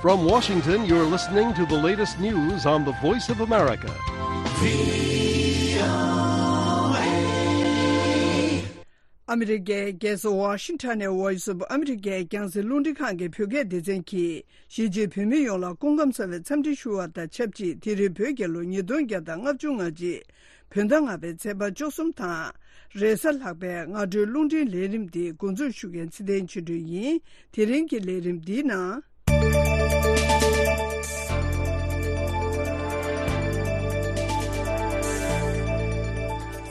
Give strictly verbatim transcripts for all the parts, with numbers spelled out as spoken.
From Washington, you're listening to the latest news on the Voice of America. ཨ་མི་རི་ཀའི་རྒྱལ་ས་ཝ་ཤིང་ཊོན་ནས་Voice of America་རྒྱང་སྲིང་རླུང་འཕྲིན་ཁང་གི་བོད་སྐད་སྡེ་ཚན་གྱིས་གཞིས་བྱེས་བོད་མི་ཡོངས་ལ་སྐུ་ཁམས་བཟང་བའི་འཚམས་འདྲི་ཞུ་བ་དང་ཆབས་ཅིག་དེ་རིང་བོད་རྒྱལ་ལོ་ཉིས་སྟོང་བརྒྱ་དང་ལྔ་བཅུ་ང་གཅིག་བོད་ཟླ་ལྔ་པའི་ཚེས་པ་བཅུ་གསུམ་དང་། རེས་གཟའ་ལྷག་པའི་སྔ་དྲོའི་རླུང་འཕྲིན་ལས་རིམ་འདི་འགོ་འཛུགས་ཞུ་མཁན་ཚེ་བརྟན་ཆོས་སྒྲོན་ཡིན། དེ་རིང་གི་ལས་རིམ་འདིའི་ནང་།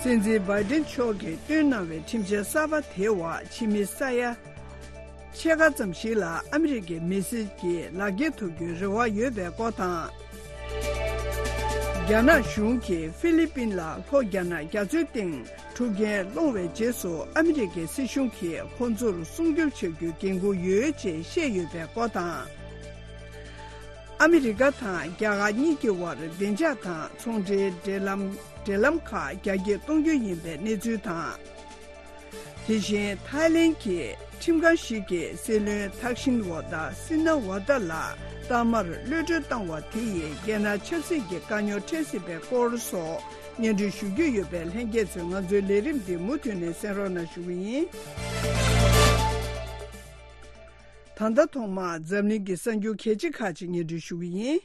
སྲིད་འཛིན་བྷའི་ཏིན་མཆོག་གིས་བཏོན་གནང་བའི་ཁྲིམས་འཆར་གསར་པ་དེའི་འོག་ཕྱི་མི་ས་ཡ་ཕྱེད་ཀ་ཙམ་ཞིག་ལ་ཨ་མི་རི་ཀའི་མི་སེར་གྱི་ལག་འཁྱེར་ཐོབ་རྒྱུའི་རེ་བ་ཡོད་པའི་སྐོར་དང་། རྒྱ་ནག་གཞུང་གིས་ཧྥི་ལི་པིན་ལ་ལྷོ་རྒྱ་ནག་རྒྱ་མཚོའི་སྟེང་འཁྲུག་རྐྱེན་སློང་བའི་རྗེས་སུ་ཨ་མི་རི་ཀའི་སྲིད་གཞུང་གིས་ཁོང་ཚོར་སྲུང་སྐྱོབ་བྱ་རྒྱུའི་འགན་འཁུར་ཡོད་ཅེས་བཤད་ཡོད་པའི་སྐོར་དང་། ཨ་མི་རི་ཀ་དང་རྒྱ་གར་གཉིས་ཀྱི་དབར་བདེ་འཇགས་དང་ཚོང་འབྲེལ་འབྲེལ་ལམ་འབྲེལ་ལམ་ཁག་རྒྱ་སྐྱེད་གཏོང་རྒྱུ་ཡིན་པའི་གནས་ཚུལ་དང་། དེ་བཞིན་ཐའི་ལེན་གྱི་ཁྲིམས་ཁང་ཞིག་གིས་སྲིད་བློན་ཐག་ཤིན་ཝ་ཏཱ་སི་ན་ཝ་ཏཱ་ལ་གཏའ་མར་གློད་གྲོལ་བཏང་བ་དེ་ཡིས་རྒྱལ་ནང་ཆབ་སྲིད་ཀྱི་དཀའ་རྙོག་འཕྲད་སྲིད་པའི་སྐོར་སོགས་སྙན་སྒྲོན་ཞུ་རྒྱུ་ཡོད་པས། ལྷན་རྒྱས་ཚོས་ང་ཚོའི་ལས་རིམ་འདི་མུ་མཐུད་ནས་གསན་རོགས་གནང་ཞུ་གི་ཡིན། ད་ལྟ་ཐོག་མར་འཛམ་གླིང་གི་གསར་འགྱུར་གལ་ཆེ་ཁག་ཅིག་སྙན་སྒྲོན་ཞུ་གི་ཡིན།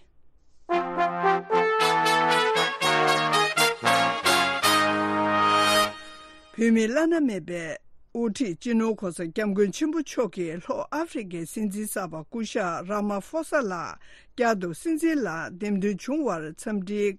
བོད་མིའི་བླ་ན་མེད་པའི་དབུ་ཁྲིད་སྤྱི་ནོར་གོང་ས་སྐྱབས་མགོན་ཆེན་པོ་མཆོག་གིས་ལྷོ་ཨ་ཧྥེ་རི་ཁའི་སྲིད་འཛིན་གསར་པ་སྐུ་ཞབས་ར་མ་ཧྥོ་ས་ལ་བསྐྱར་དུ་སྲིད་འཛིན་ལ་འདེམས་ཐོན་བྱུང་བར་འཚམས་འདྲིའི་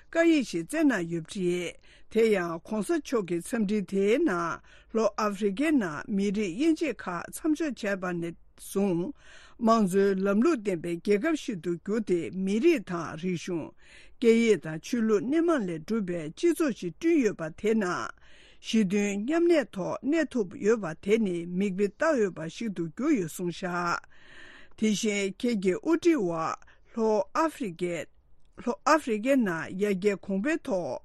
བཀའ་ཡིག་ཞིག་བསྩལ་གནང་ཡོད་པ་རེད། དེ་ཡང་གོང་ས་མཆོག་གི་འཚམས་འདྲི་དེའི་ནང་ལྷོ་ཨ་ཧྥེ་རི་ཁའི་ནང་མི་རིགས་དབྱེ་འབྱེད་ཁག་མཚམས་འཇོག་བྱས་པ་ནས་བཟུང་། དམངས་གཙོའི་ལམ་ལུགས་ལྡན་པའི་རྒྱལ་ཁབ་ཞིག་ཏུ་གྱུར་ཏེ། མི་རིགས་དང་རིག་གཞུང་། སྐད་ཡིག་དང་ཆོས་ལུགས་སྣེ་མང་ལས་གྲུབ་པའི་སྤྱི་ཚོགས་ཤིག་བསྐྲུན་ཡོད་པ་དེ་ནང་། ཞི་མཐུན་མཉམ་གནས་ཐོག་གནས་ཐུབ་ཡོད་པ་དེ་ནི་མིག་དཔེ་ལྟ་འོས་པ་ཞིག་ཏུ་གྱུར་ཡོད་གསུངས་བཞག་དེ་བཞིན་ཁྱེད་ཀྱིས་དབུ་ཁྲིད་འོག་ལྷོ་ཨ་ཧྥེ་རི་ཁའི་ལྷོ་ཨ་ཧྥེ་རི་ཁའི་ནང་ཡར་རྒྱས་གོང་འཕེལ་ཐོག་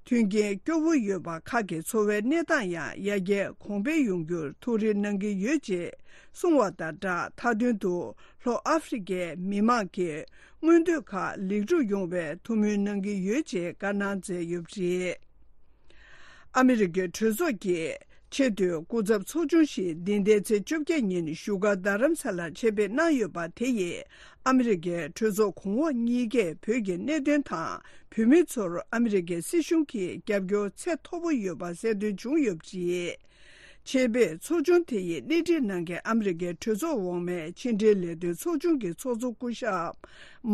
མཐུན་རྐྱེན་སྐྱོ་བོ་ཡོད་པ་ཁག་གི་འཚོ་བའི་གནས་སྟངས་ཡང་ཡར་རྒྱས་གོང་འཕེལ་ཡོང་རྒྱུར་ཐུགས་རེ་གནང་གི་ཡོད་ཅེས་གསུངས་བ་དང་སྦྲགས། མཐའ་དོན་དུ་ལྷོ་ཨ་ཧྥེ་རི་ཁའི་མི་མང་གི་མངོན་འདོད་ཁག་ལེགས་གྲུབ་ཡོང་བའི་ཐུགས་སྨོན་གནང་གི་ཡོད་ཅེས་བཀའ་གནང་མཛད་ཡོད་པ་རེད། ཨ་མི་རི་ཀའི་གྲོས་ཚོགས་ཀྱི་ཆེས་མཐོའི་སྐུ་ཚབ་ཚོགས་ཆུང་ཞིག་འདི་ཟླའི་ཚེས་བཅོ་བརྒྱད་ཉིན་བཞུགས་སྒར་རྡ་རམ་ས་ལར་ཆེད་ཕེབས་གནང་ཡོད་པ་དེ་ཡིས་ཨ་མི་རི་ཀའི་གྲོས་ཚོགས་གོང་འོག་གཉིས་ཀས་བོད་ཀྱི་གནད་དོན་དང་བོད་མི་ཚོར་ཨ་མི་རི་ཀའི་སྲིད་གཞུང་གིས་རྒྱབ་སྐྱོར་ཚད་མཐོ་པོ་ཡོད་པ་གསལ་སྟོན་བྱུང་ཡོད་པ་རེད། ཆེད་ཕེབས་ཚོགས་ཆུང་དེ་ཡི་སྣེ་ཁྲིད་གནང་མཁན་ཨ་མི་རི་ཀའི་གྲོས་ཚོགས་འོག་མའི་ཕྱི་འབྲེལ་ལས་དོན་ཚོགས་ཆུང་གི་ཚོགས་གཙོ་སྐུ་ཞབས་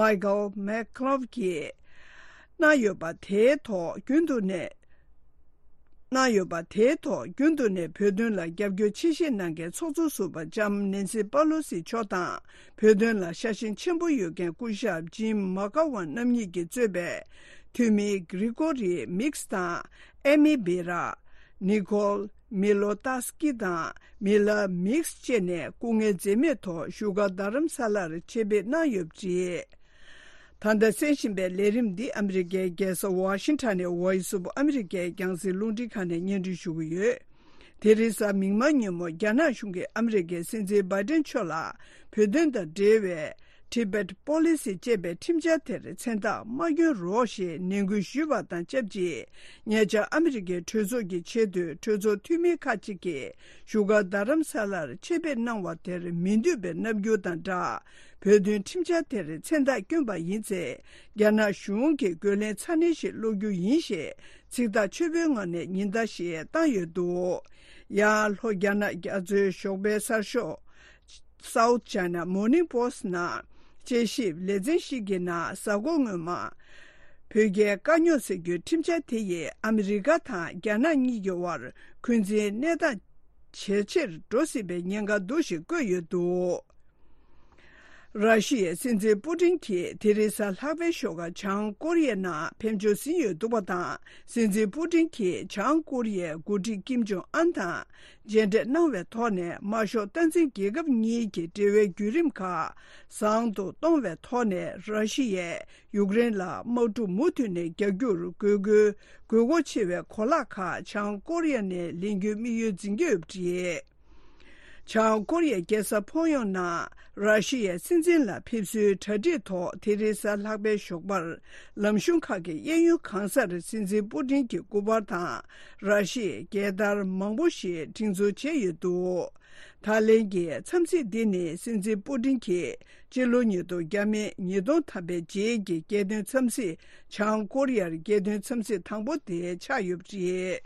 མའི་ཀལ་མེག་ཁོ་ལོབ་ཀྱིས་གནང་ཡོད་པ་དེའི་ཐོག་རྒྱུན་དུ་ནས། གནང་ཡོད་པ་དེའི་ཐོག་རྒྱུན་དུ་ནས་བོད་དོན་ལ་རྒྱབ་སྐྱོར་ཆེ་བཞེས་གནང་མཁན་ཚོགས་གཙོ་ཟུར་པ་ལྕམ་ནེན་སི་པ་ལོ་སི་མཆོག་དང་། བོད་དོན་ལ་ཤ་ཞེན་ཆེན་པོ་ཡོད་མཁན་སྐུ་ཞབས་ཇིམ་མ་ཀ་ཝན་རྣམ་གཉིས་ཀྱིས་གཙོས་པའི་འཐུས་མི་གྷི་རི་གོ་རི་མིགས་དང་། ཨེ་མི་བེ་ར། ནི་ཁོལ་མི་ལོ་ཏཱ་སི་ཀི་དང་མི་ལ་མིགས་བཅས་ནས་སྐུ་ངལ་འཛེམས་མེད་ཐོག་བཞུགས་སྒར་རྡ་རམ་ས་ལར་ཆེད་ཕེབས་གནང་ཡོད་པ་རེད། ད་ལྟ་གསན་བཞིན་པའི་ལས་རིམ་འདི་ཨ་མི་རི་ཀའི་རྒྱལ་ས་ཝ་ཤིང་ཊོན་ནས་Voice of America་རྒྱང་སྲིང་རླུང་འཕྲིན་ཁང་ནས་སྙན་སྒྲོན་ཞུ་གི་ཡོད། དེ་རིང་གཟའ་མིག་དམར་ཉིན་མོ་རྒྱ་ནག་གཞུང་གིས་ཨ་མི་རི་ཀའི་སྲིད་འཛིན་བྷའི་ཏིན་མཆོག་ལ་བོད་དོན་དང་འབྲེལ་བའི་Tibet Policy་ཅེས་པའི་ཁྲིམས་འཆར་དེར་མཚན་རྟགས་མ་བསྐྱོན་རོགས་ཞེས་ནན་སྐུལ་ཞུས་པ་དང་ཆབས་ཅིག་ཉེ་ཆར་ཨ་མི་རི་ཀའི་གྲོས་ཚོགས་ཀྱི་ཆེས་མཐོའི་གྲོས་ཚོགས་འཐུས་མི་ཁག་ཅིག་གིས་བཞུགས་སྒར་རྡ་རམ་ས་ལར་ཆེད་ཕེབས་གནང་བ་དེར་མི་འདོད་པའི་རྣམ་འགྱུར་དང་སྦྲགས། བོད་དོན་ཁྲིམས་འཆར་དེར་མཚན་རྟགས་བསྐྱོན་པ་ཡིན་ཚེ། རྒྱ་ནག་གཞུང་གིས་རྒོལ་ལན་ཚ་ནན་ཞིག་སློག་རྒྱུ་ཡིན་ཞེས་ཚིག་ཐག་ཆོད་པོའི་ངང་ནས་ཉེན་བརྡ་ཞིག་བཏང་ཡོད་འདུག་ཡང་ལྷོ་རྒྱ་ནག་རྒྱ་མཚོའི་ཞོགས་པའི་གསར་ཤོག South China Morning Post ནང་དཔྱད་ཞིབ་ལེ་ཚན་ཞིག་གི་ནང་གཟའ་འཁོར་སྔོན་མ། བོད་རྒྱའི་དཀའ་རྙོག་སེལ་རྒྱུའི་ཁྲིམས་འཆར་དེ་ཡིས་ཨ་མི་རི་ཀ་དང་རྒྱ་ནག་གཉིས་ཀྱི་དབར་འཁོན་འཛིན་གནས་སྟངས་ཇེ་ཆེར་འགྲོ་སྲིད་པའི་ཉེན་ཁ་འདུག་ཞེས་བཀོད་ཡོད་འདུག་ར་ཤི་ཡའི་སྲིད་འཛིན་པུ་ཏིན་གྱིས་དེ་རིང་གཟའ་ལྷག་པའི་ཞོགས་ཀ་བྱང་ཀོ་རི་ཡའི་ནང་ཕེབས་འབྱོར་ཟིན་ཡོད་འདུག་པ་དང་། སྲིད་འཛིན་པུ་ཏིན་གྱིས་བྱང་ཀོ་རི་ཡའི་འགོ་ཁྲིད་ཀིམ་ཇོང་ཨན་དང་མཇལ་འཕྲད་གནང་བའི་ཐོག་ནས། དམར་ཤོག་སྟངས་འཛིན་རྒྱལ་ཁབ་གཉིས་ཀྱི་འབྲེལ་བའི་བརྒྱུད་རིམ་ཁག་བཟང་དུ་གཏོང་བའི་ཐོག་ནས། ར་ཤི་ཡས་ཡུཀ་རེན་ལ་དམག་འཁྲུག་མུ་མཐུད་ནས་རྒྱག་རྒྱུར་དགོས་དགོས་དགོས་མཁོ་ཆེ་བའི་གོ་ལག་ཁག་བྱང་ཀོ་རི་ཡ་ནས་ལེན་རྒྱུའི་དམིགས་ཡུལ་འཛིན་གྱི་ཡོད་པ་རེད། བྱང་ཀོ་རི་ཡའི་རྒྱལ་ས་ཕོང་ཡོང་ནང་ར་ཤི་ཡའི་སྲིད་འཛིན་ལ་ཕེབས་བསུའི་གྲ་སྒྲིག་ཐོག་དེ་རིང་གཟའ་ལྷག་པའི་ཞོགས་པར་ལམ་གཞུང་ཁག་གི་གཡས་གཡོན་གང་སར་སྲིད་འཛིན་པུ་ཏིན་གྱི་སྐུ་པར་དང་ར་ཤི་ཡའི་རྒྱལ་དར་མང་པོ་ཞིག་སྒྲེང་འཛུགས་བྱས་ཡོད་འདུག་ད་ལན་གྱི་འཚམས་གཟིགས་འདི་ནི་སྲིད་འཛིན་པུ་ཏིན་གྱིས་སྤྱི་ལོ་ཉིས་སྟོང་བརྒྱ་མེད་ཉིས་སྟོང་ཐམ་པའི་རྗེས་ཀྱི་རྒྱལ་དོན་འཚམས་གཟིགས། བྱང་ཀོ་རི་ཡར་རྒྱལ་དོན་འཚམས་གཟིགས་དང་པོ་དེ་ཆགས་ཡོད་པ་རེད།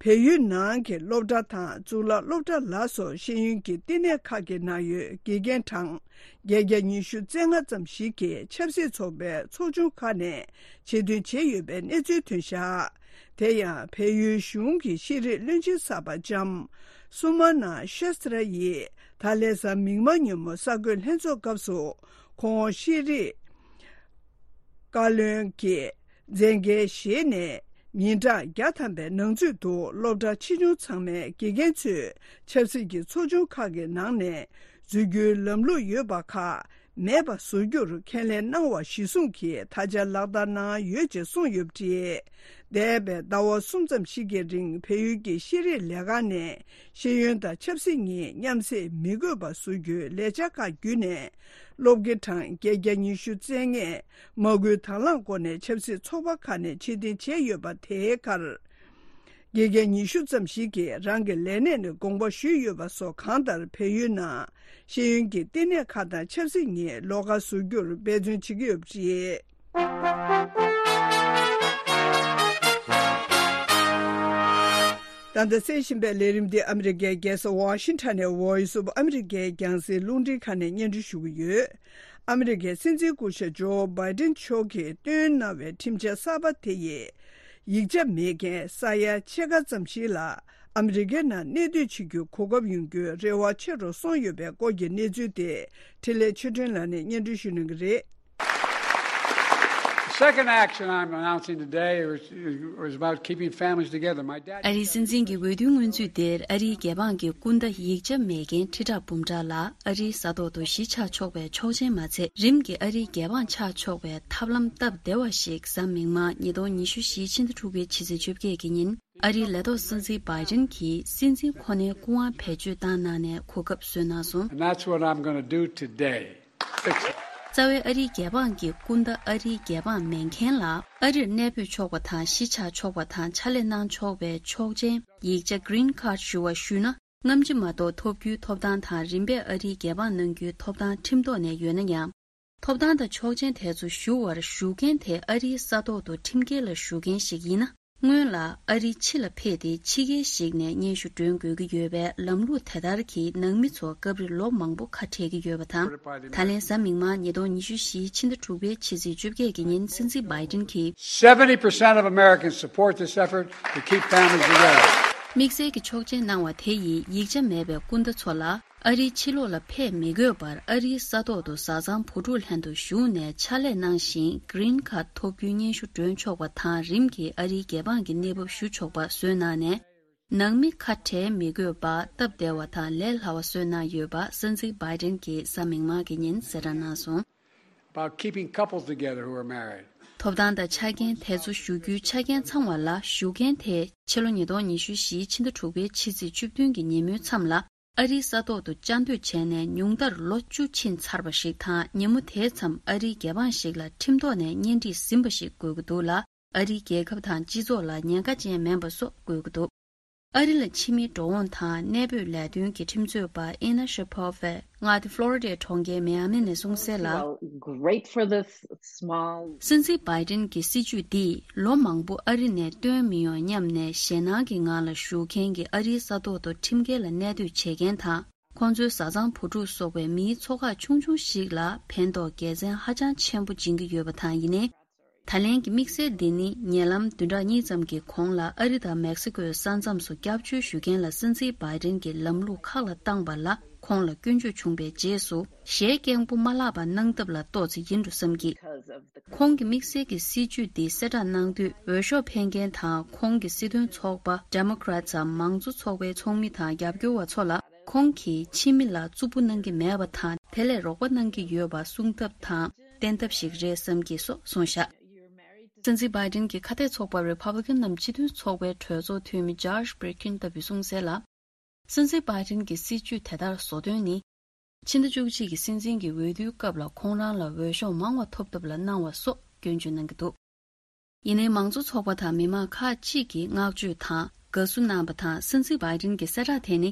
བལ་ཡུལ་ནང་གི་སློབ་གྲྭ་དང་གཙུག་ལག་སློབ་གྲྭ་ལ་སོགས་ཤེས་ཡོན་གྱི་བསྟི་གནས་ཁག་གི་ནང་ཡོད་དགེ་རྒན་གྲངས་བརྒྱད་བརྒྱ་ཉི་ཤུ་རྩ་ལྔ་ཙམ་ཞིག་གིས་ཆབ་སྲིད་ཚོགས་པའི་ཚོགས་ཆུང་ཁག་ནས་ཆེད་འདོན་བྱས་ཡོད་པའི་གནས་ཚུལ་ཐོན་བཞག་དེ་ཡང་བལ་ཡུལ་གཞུང་གི་ཤེས་རིག་བློན་ཆེན་གསར་པ་ལྕམ་སུ་མ་ན་ཤེས་ཏྲ་ཡིས་ད་ལན་གཟའ་མིག་དམར་ཉིན་མོ་གསར་འགོད་ལྷན་ཚོགས་སྐབས་སུ་ཁོང་ཤེས་རིག་བཀའ་བློན་གྱི་མཛད་འགན་བཞེས་ནས་ཉིན་གྲངས་བརྒྱ་ཐམ་པའི་ནང་ཚུད་དུ་སློབ་གྲྭ་ཆེ་ཆུང་ཚང་མའི་དགེ་རྒན་ཚོས་ཆབ་སྲིད་ཀྱི་ཚོགས་ཆུང་ཁག་གི་ནང་ནས་འཛུལ་རྒྱུའི་ལམ་ལུགས་ཡོད་པ་ཁག་མེད་པ་བཟོ་རྒྱུར་ཁས་ལེན་གནང་བ་གཞིར་བཟུང་གིས་ད་ཆ་ལག་བསྟར་གནང་ཡོད་ཅེས་གསུངས་ཡོད་པ་རེད། འདས་པའི་ཟླ་བ་གསུམ་ཙམ་ཞིག་གི་རིང་བལ་ཡུལ་གྱི་ཤེས་རིག་ལས་ཁང་ནས་ཤེས་ཡོན་དང་ཆབ་སྲིད་གཉིས་མཉམ་བསྲེས་མི་དགོས་པ་བཟོ་རྒྱུའི་ལས་འཆར་ཁག་བརྒྱུད་ནས། སློབ་དགེ་གྲངས་བརྒྱད་བརྒྱ་ཉི་ཤུ་རྩ་ལྔས་མ་སྐུལ་དང་བླངས་སྒོ་ནས་ཆབ་སྲིད་ཚོགས་པ་ཁག་ནས་ཕྱིར་འཐེན་བྱས་ཡོད་པ་དེའི་ཁར། དགེ་རྒན་ཉི་ཤུ་ཙམ་ཞིག་གིས་རང་གི་ལས་གནས་ནས་དགོངས་པ་ཞུས་ཡོད་པ་སོགས་གང་ལྟར་བལ་ཡུལ་ནང་ཤེས་ཡོན་གྱི་བསྟི་གནས་ཁག་དང་ཆབ་སྲིད་གཉིས་ལོགས་ཀ་བཟོ་རྒྱུར་འབད་བརྩོན་བྱེད་ཀྱི་ཡོད་པ་རེད། ད་ལྟ་གསན་བཞིན་པའི་ལས་རིམ་འདི་ཨ་མི་རི་ཀའི་རྒྱལ་ས་ཝ་ཤིང་ཊོན་ནས་Voice of America རྒྱང་སྲིང་རླུང་འཕྲིན་ཁང་ནས་སྙན་སྒྲོན་ཞུ་གི་ཡོད། ཨ་མི་རི་ཀའི་སྲིད་འཛིན་སྐུ་ཞབས་ཇོ་བྷའི་ཏིན་མཆོག་གིས་བཏོན་གནང་བའི་ཁྲིམས་འཆར་གསར་པ་དེ་ཡིས་ཡིག་ཆ་མེད་མཁན་ས་ཡ་ཕྱེད་ཀ་ཙམ་ཞིག་ལ་ཨ་མི་རི་ཀའི་ནང་གནས་སྡོད་བྱེད་རྒྱུའི་གོ་སྐབས་ཡོང་རྒྱུའི་རེ་བ་ཆེ་རུ་སོང་ཡོད་པའི་སྐོར་གྱི་གནས་ཚུལ་དེ་འཕྲིན་ལས་ཆོས་སྒྲོན་ལགས་ནས་སྙན་སྒྲོན་ཞུ་གནང་གི་རེད། The second action I'm announcing today is, is about keeping families together. My dad ཨ་རིའི་སྲིད་འཛིན་གྱི་འོས་བསྡུའི་སྔོན་ཚུད་དེར་ཨ་རིའི་རྒྱལ་འབངས་ཀྱི་སྐུ་ཟླ་ཡིག་ཆ་མེད་མཁན་ཁྲི་ཕྲག་འབུམ་ཕྲག་ལ་ཨ་རིའི་ས་ཐོག་ཏུ་གཞིས་ཆགས་ཆོག་པའི་ཆོག་མཆན་མ་ཚད། རིམ་གྱིས་ཨ་རིའི་རྒྱལ་འབངས་ཆགས་ཆོག་པའི་ཐབས་ལམ་སྟབས་བདེ་བ་ཞིག་གཟའ་མིག་དམར་ཉིས་སྟོང་ཉི་ཤུ་བཞིའི་ཕྱི་ཟླ་དྲུག་པའི་ཕྱི་ཚེས་བཅོ་བརྒྱད་ཀྱི་ཉིན་ཨ་རིའི་ལས་ཐོག་སྲིད་འཛིན་བྷའི་ཏིན་གྱིས་སྲིད་འཛིན་ཁོ་ནའི་སྐུ་དབང་བེད་སྤྱོད་བཏང་གནང་ནས་གོ་སྐབས་སྩལ་གནང་སོང་། And that's what I'm gonna do today. རྩ་བའི་ཨ་རིའི་རྒྱལ་འབངས་ཀྱི་སྐུ་ཟླ་ཨ་རིའི་རྒྱལ་འབངས་མེད་མཁན་ལ་ཨ་རིར་གནས་སྤོས་ཆོག་པ་དང་གཞིས་ཆགས་ཆོག་པ་དང་ཕྱག་ལས་གནང་ཆོག་པའི་ཆོག་མཆན་ཡིག་ཆ་Green Card ཞུ་བ་ཞུས་ན། སྔ་ཕྱི་མ་གཏོགས་ཐོབ་རྒྱུའི་ཐོབ་ཐང་དང་རིམ་པས་ཨ་རིའི་རྒྱལ་འབངས་གནང་རྒྱུའི་ཐོབ་ཐང་ཁྲིམས་ཐོག་ནས་ཡོད་ན་ཡང་། ཐོབ་ཐང་དང་ཆོག་མཆན་དེ་ཚོ་ཞུ་བར་ཞུ་མཁན་དེ་ཨ་རིའི་ས་ཐོག་ཏུ་ཁྲིམས་འགལ་ལ་ཞུ་མཁན་ཞིག་ཡིན་ན། སྔོན་ལ་ཨ་རིའི་ཕྱི་ལ་ཕེབས་ཏེ་ཕྱི་རྒྱལ་ཞིག་ནས་སྙན་ཞུ་སྒྲོན་དགོས་ཀྱི་ཡོད་པའི་ལམ་ལུགས་དེ་ལྟར་གྱིས་ནང་མི་ཚོ་སྐབས་རེ་ལོ་མང་པོ་ཁ་བྲལ་གྱི་ཡོད་པ་དང་། ད་ལན་གཟའ་མིག་དམར་ཉིས་སྟོང་ཉི་ཤུ་བཞིའི་ཕྱི་ཟླ་དྲུག་པའི་ཕྱི་ཚེས་བཅོ་བརྒྱད་ཀྱི་ཉིན་སྲིད་འཛིན་བྷའི་ཏིན་གྱིས། Seventy percent of Americans support this effort to keep families together. དམིགས་བསལ་གྱི་ཆོག་མཆན་གནང་བ་དེ་ཡིས་ཡིག་ཆ་མེད་པའི་སྐུ་ཟླ་ཚོ་ལ། ཨ་རིའི་ཕྱི་ལོགས་ལ་ཕེབས་མི་དགོས་པར་ཨ་རིའི་ས་ཐོག་ཏུ་བཟའ་ཚང་བུ་ཕྲུག་ལྷན་དུ་བཞུགས་ནས་ཕྱག་ལས་གནང་ཞིང་Green Card ཐོབ་རྒྱུའི་སྙན་ཞུ་སྒྲོན་ཆོག་པ་དང་རིམ་གྱིས་ཨ་རིའི་རྒྱལ་འབངས་ཀྱི་གནས་བབ་ཞུ་ཆོག་པ་བཟོས་གནང་ནས། ནང་མི་ཁ་བྲལ་མི་དགོས་པ་སྟབས་བདེ་བ་དང་ལས་སླ་བ་བཟོས་གནང་ཡོད་པ་སྲིད་འཛིན་བྷའི་ཏིན་གྱིས་གཟའ་མིག་དམར་གྱི་ཉིན་གསལ་བསྒྲགས་གནང་སོང་། About keeping couples together who are married. ཐོབ་ཐང་དང་ཆ་རྐྱེན་དེ་ཚོ་ཞུ་རྒྱུའི་ཆ་རྐྱེན་ཚང་བ་ལ་ཞུ་མཁན་དེ་ཕྱི་ལོ་ཉིས་སྟོང་ཉི་ཤུ་བཞིའི་ཕྱི་ཟླ་དྲུག་པའི་ཕྱི་ཚེས་བཅུ་བདུན་གྱི་ཉིན་མོའི་མཚམས་ལ། ཨ་རིའི་ས་ཐོག་ཏུ་བཅའ་སྡོད་བྱས་ནས་ཉུང་མཐར་ལོ་བཅུ་ཕྱིན་ཚར་བ་ཞིག་དང་། ཉིན་མོ་དེའི་མཚམས་ཨ་རིའི་རྒྱལ་འབངས་ཤིག་ལ་ཁྲིམས་ཐོག་ནས་གཉེན་སྒྲིག་ཟིན་པ་ཞིག་དགོས་ཀྱི་འདུག་ལ། ཨ་རིའི་རྒྱལ་ཁབ་དང་སྤྱི་ཚོགས་ལ་ཉེན་ཁ་ཅན་མིན་པ་སོགས་དགོས་ཀྱི་འདུག་ཨ་རི་ལ་ཕྱི་མིའི་འགྲོ་འོང་དང་གནས་སྤོས་ལས་དོན་གྱི་ཁྲིམས་རྩོད་པ་ཨེ་ན་ཤི་པོ་ཝས་མངའ་སྡེ་ཕློ་རི་ཌའི་གྲོང་ཁྱེར་མི་ཡ་མི་ནས་གསུངས་གསལ་ལ། Well, great for the s- small. སྲིད་འཛིན་བྷའི་ཏིན་གྱི་སྲིད་ཇུས་འདིས་ལོ་མང་པོ་ཨ་རི་ནས་བཏོན་མི་ཡོང་སྙམ་ནས་ཞེད་སྣང་གི་ངང་ལ་བཞུགས་མཁན་གྱི་ཨ་རིའི་ས་ཐོག་ཏུ་ཁྲིམས་འགལ་ལ་གནས་སྡོད་བྱེད་མཁན་དང་། ཁོང་ཚོའི་བཟའ་ཚང་བུ་ཕྲུག་སོགས་པའི་མིའི་ཚོགས་ཁག་ཆུང་ཆུང་ཞིག་ལ་ཕན་ཐོགས་དགེ་མཚན་ཧ་ཅང་ཆེན་པོ་སྦྱིན་གྱི་ཡོད་པ་དང་། ཡིན་ནའི། ད་ལན་གྱི་དམིགས་བསལ་འདི་ནི་ཉེ་ལམ་བདུན་ཕྲག་གཉིས་ཙམ་གྱི་གོང་ལ་ཨ་རི་དང་མེག་སི་ཀོའི་ས་མཚམས་སུ་སྐྱབས་བཅོལ་ཞུ་མཁན་ལ་སྲིད་འཛིན་བྷའི་ཏིན་གྱིས་ལམ་ལུགས་ཁག་ལ་བཏང་བ་ལ་ཁོང་ལ་སྐྱོན་བརྗོད་བྱུང་བའི་རྗེས་སུ། ཞལ་སྐྱེངས་པོ་མ་ལྷག་པ་གནང་ཐབས་ལ་ཏོག་ཙམ་ཡིན་འགྲོ་བསམ་གྱི། ཁོང་གི་དམིགས་བསལ་གྱི་སྲིད་ཇུས་འདི་གསལ་བསྒྲགས་གནང་དུས། འོས་ཤོག་འཕེན་མཁན་དང་ཁོང་གི་སྲིད་དོན་ཚོགས་པ་Democrats འམ་མང་གཙོ་ཚོགས་པའི་ཚོགས་མི་དང་རྒྱབ་སྐྱོར་བ་ཚོ་ལ། ཁོང་གིས་ཕྱི་མི་ལ་རྩུབ་པོ་གནང་གི་མེད་པ་དང་། དེ་ལས་རོགས་པ་གནང་གི་ཡོད་པ་གསུང་ཐབས་དང་བསྟན་ཐབས་ཤིག་རེད་བསམ་གྱི་སོགས་གསུངས་བཞག་སྲིད་འཛིན་བྷའི་ཏིན་གྱི་ཁ་གཏད་ཚོགས་པ་Republican ནམ་སྤྱི་མཐུན་ཚོགས་པའི་གྲོས་ཚོགས་འཐུས་མི་Josh Brkin ལྟ་བུས་གསུངས་གསལ་ལ། སྲིད་འཛིན་བྷའི་ཌེན་གྱི་སྲིད་ཇུས་དེ་ལྟར་བཟོ་དོན་ནི། ཕྱི་ཟླ་བཅུ་གཅིག་གི་སྲིད་འཛིན་གྱི་འོས་བསྡུའི་སྐབས་ལ་ཁོང་རང་ལ་འོས་ཤོག་མང་བ་ཐོབ་ཐབས་ལ་གནང་བ་སོགས་སྐྱོན་བརྗོད་གནང་གི་འདུག། ཡིན་ནའི་མང་གཙོ་ཚོགས་པ་དང་མི་མང་ཁག་ཅིག་གིས་བསྔགས་བརྗོད་དང་དགའ་བསུ་གནང་བ་དང་། སྲིད་འཛིན་བྷའི་ཌེན་གྱི་གསལ་བསྒྲགས་དེ་ནི།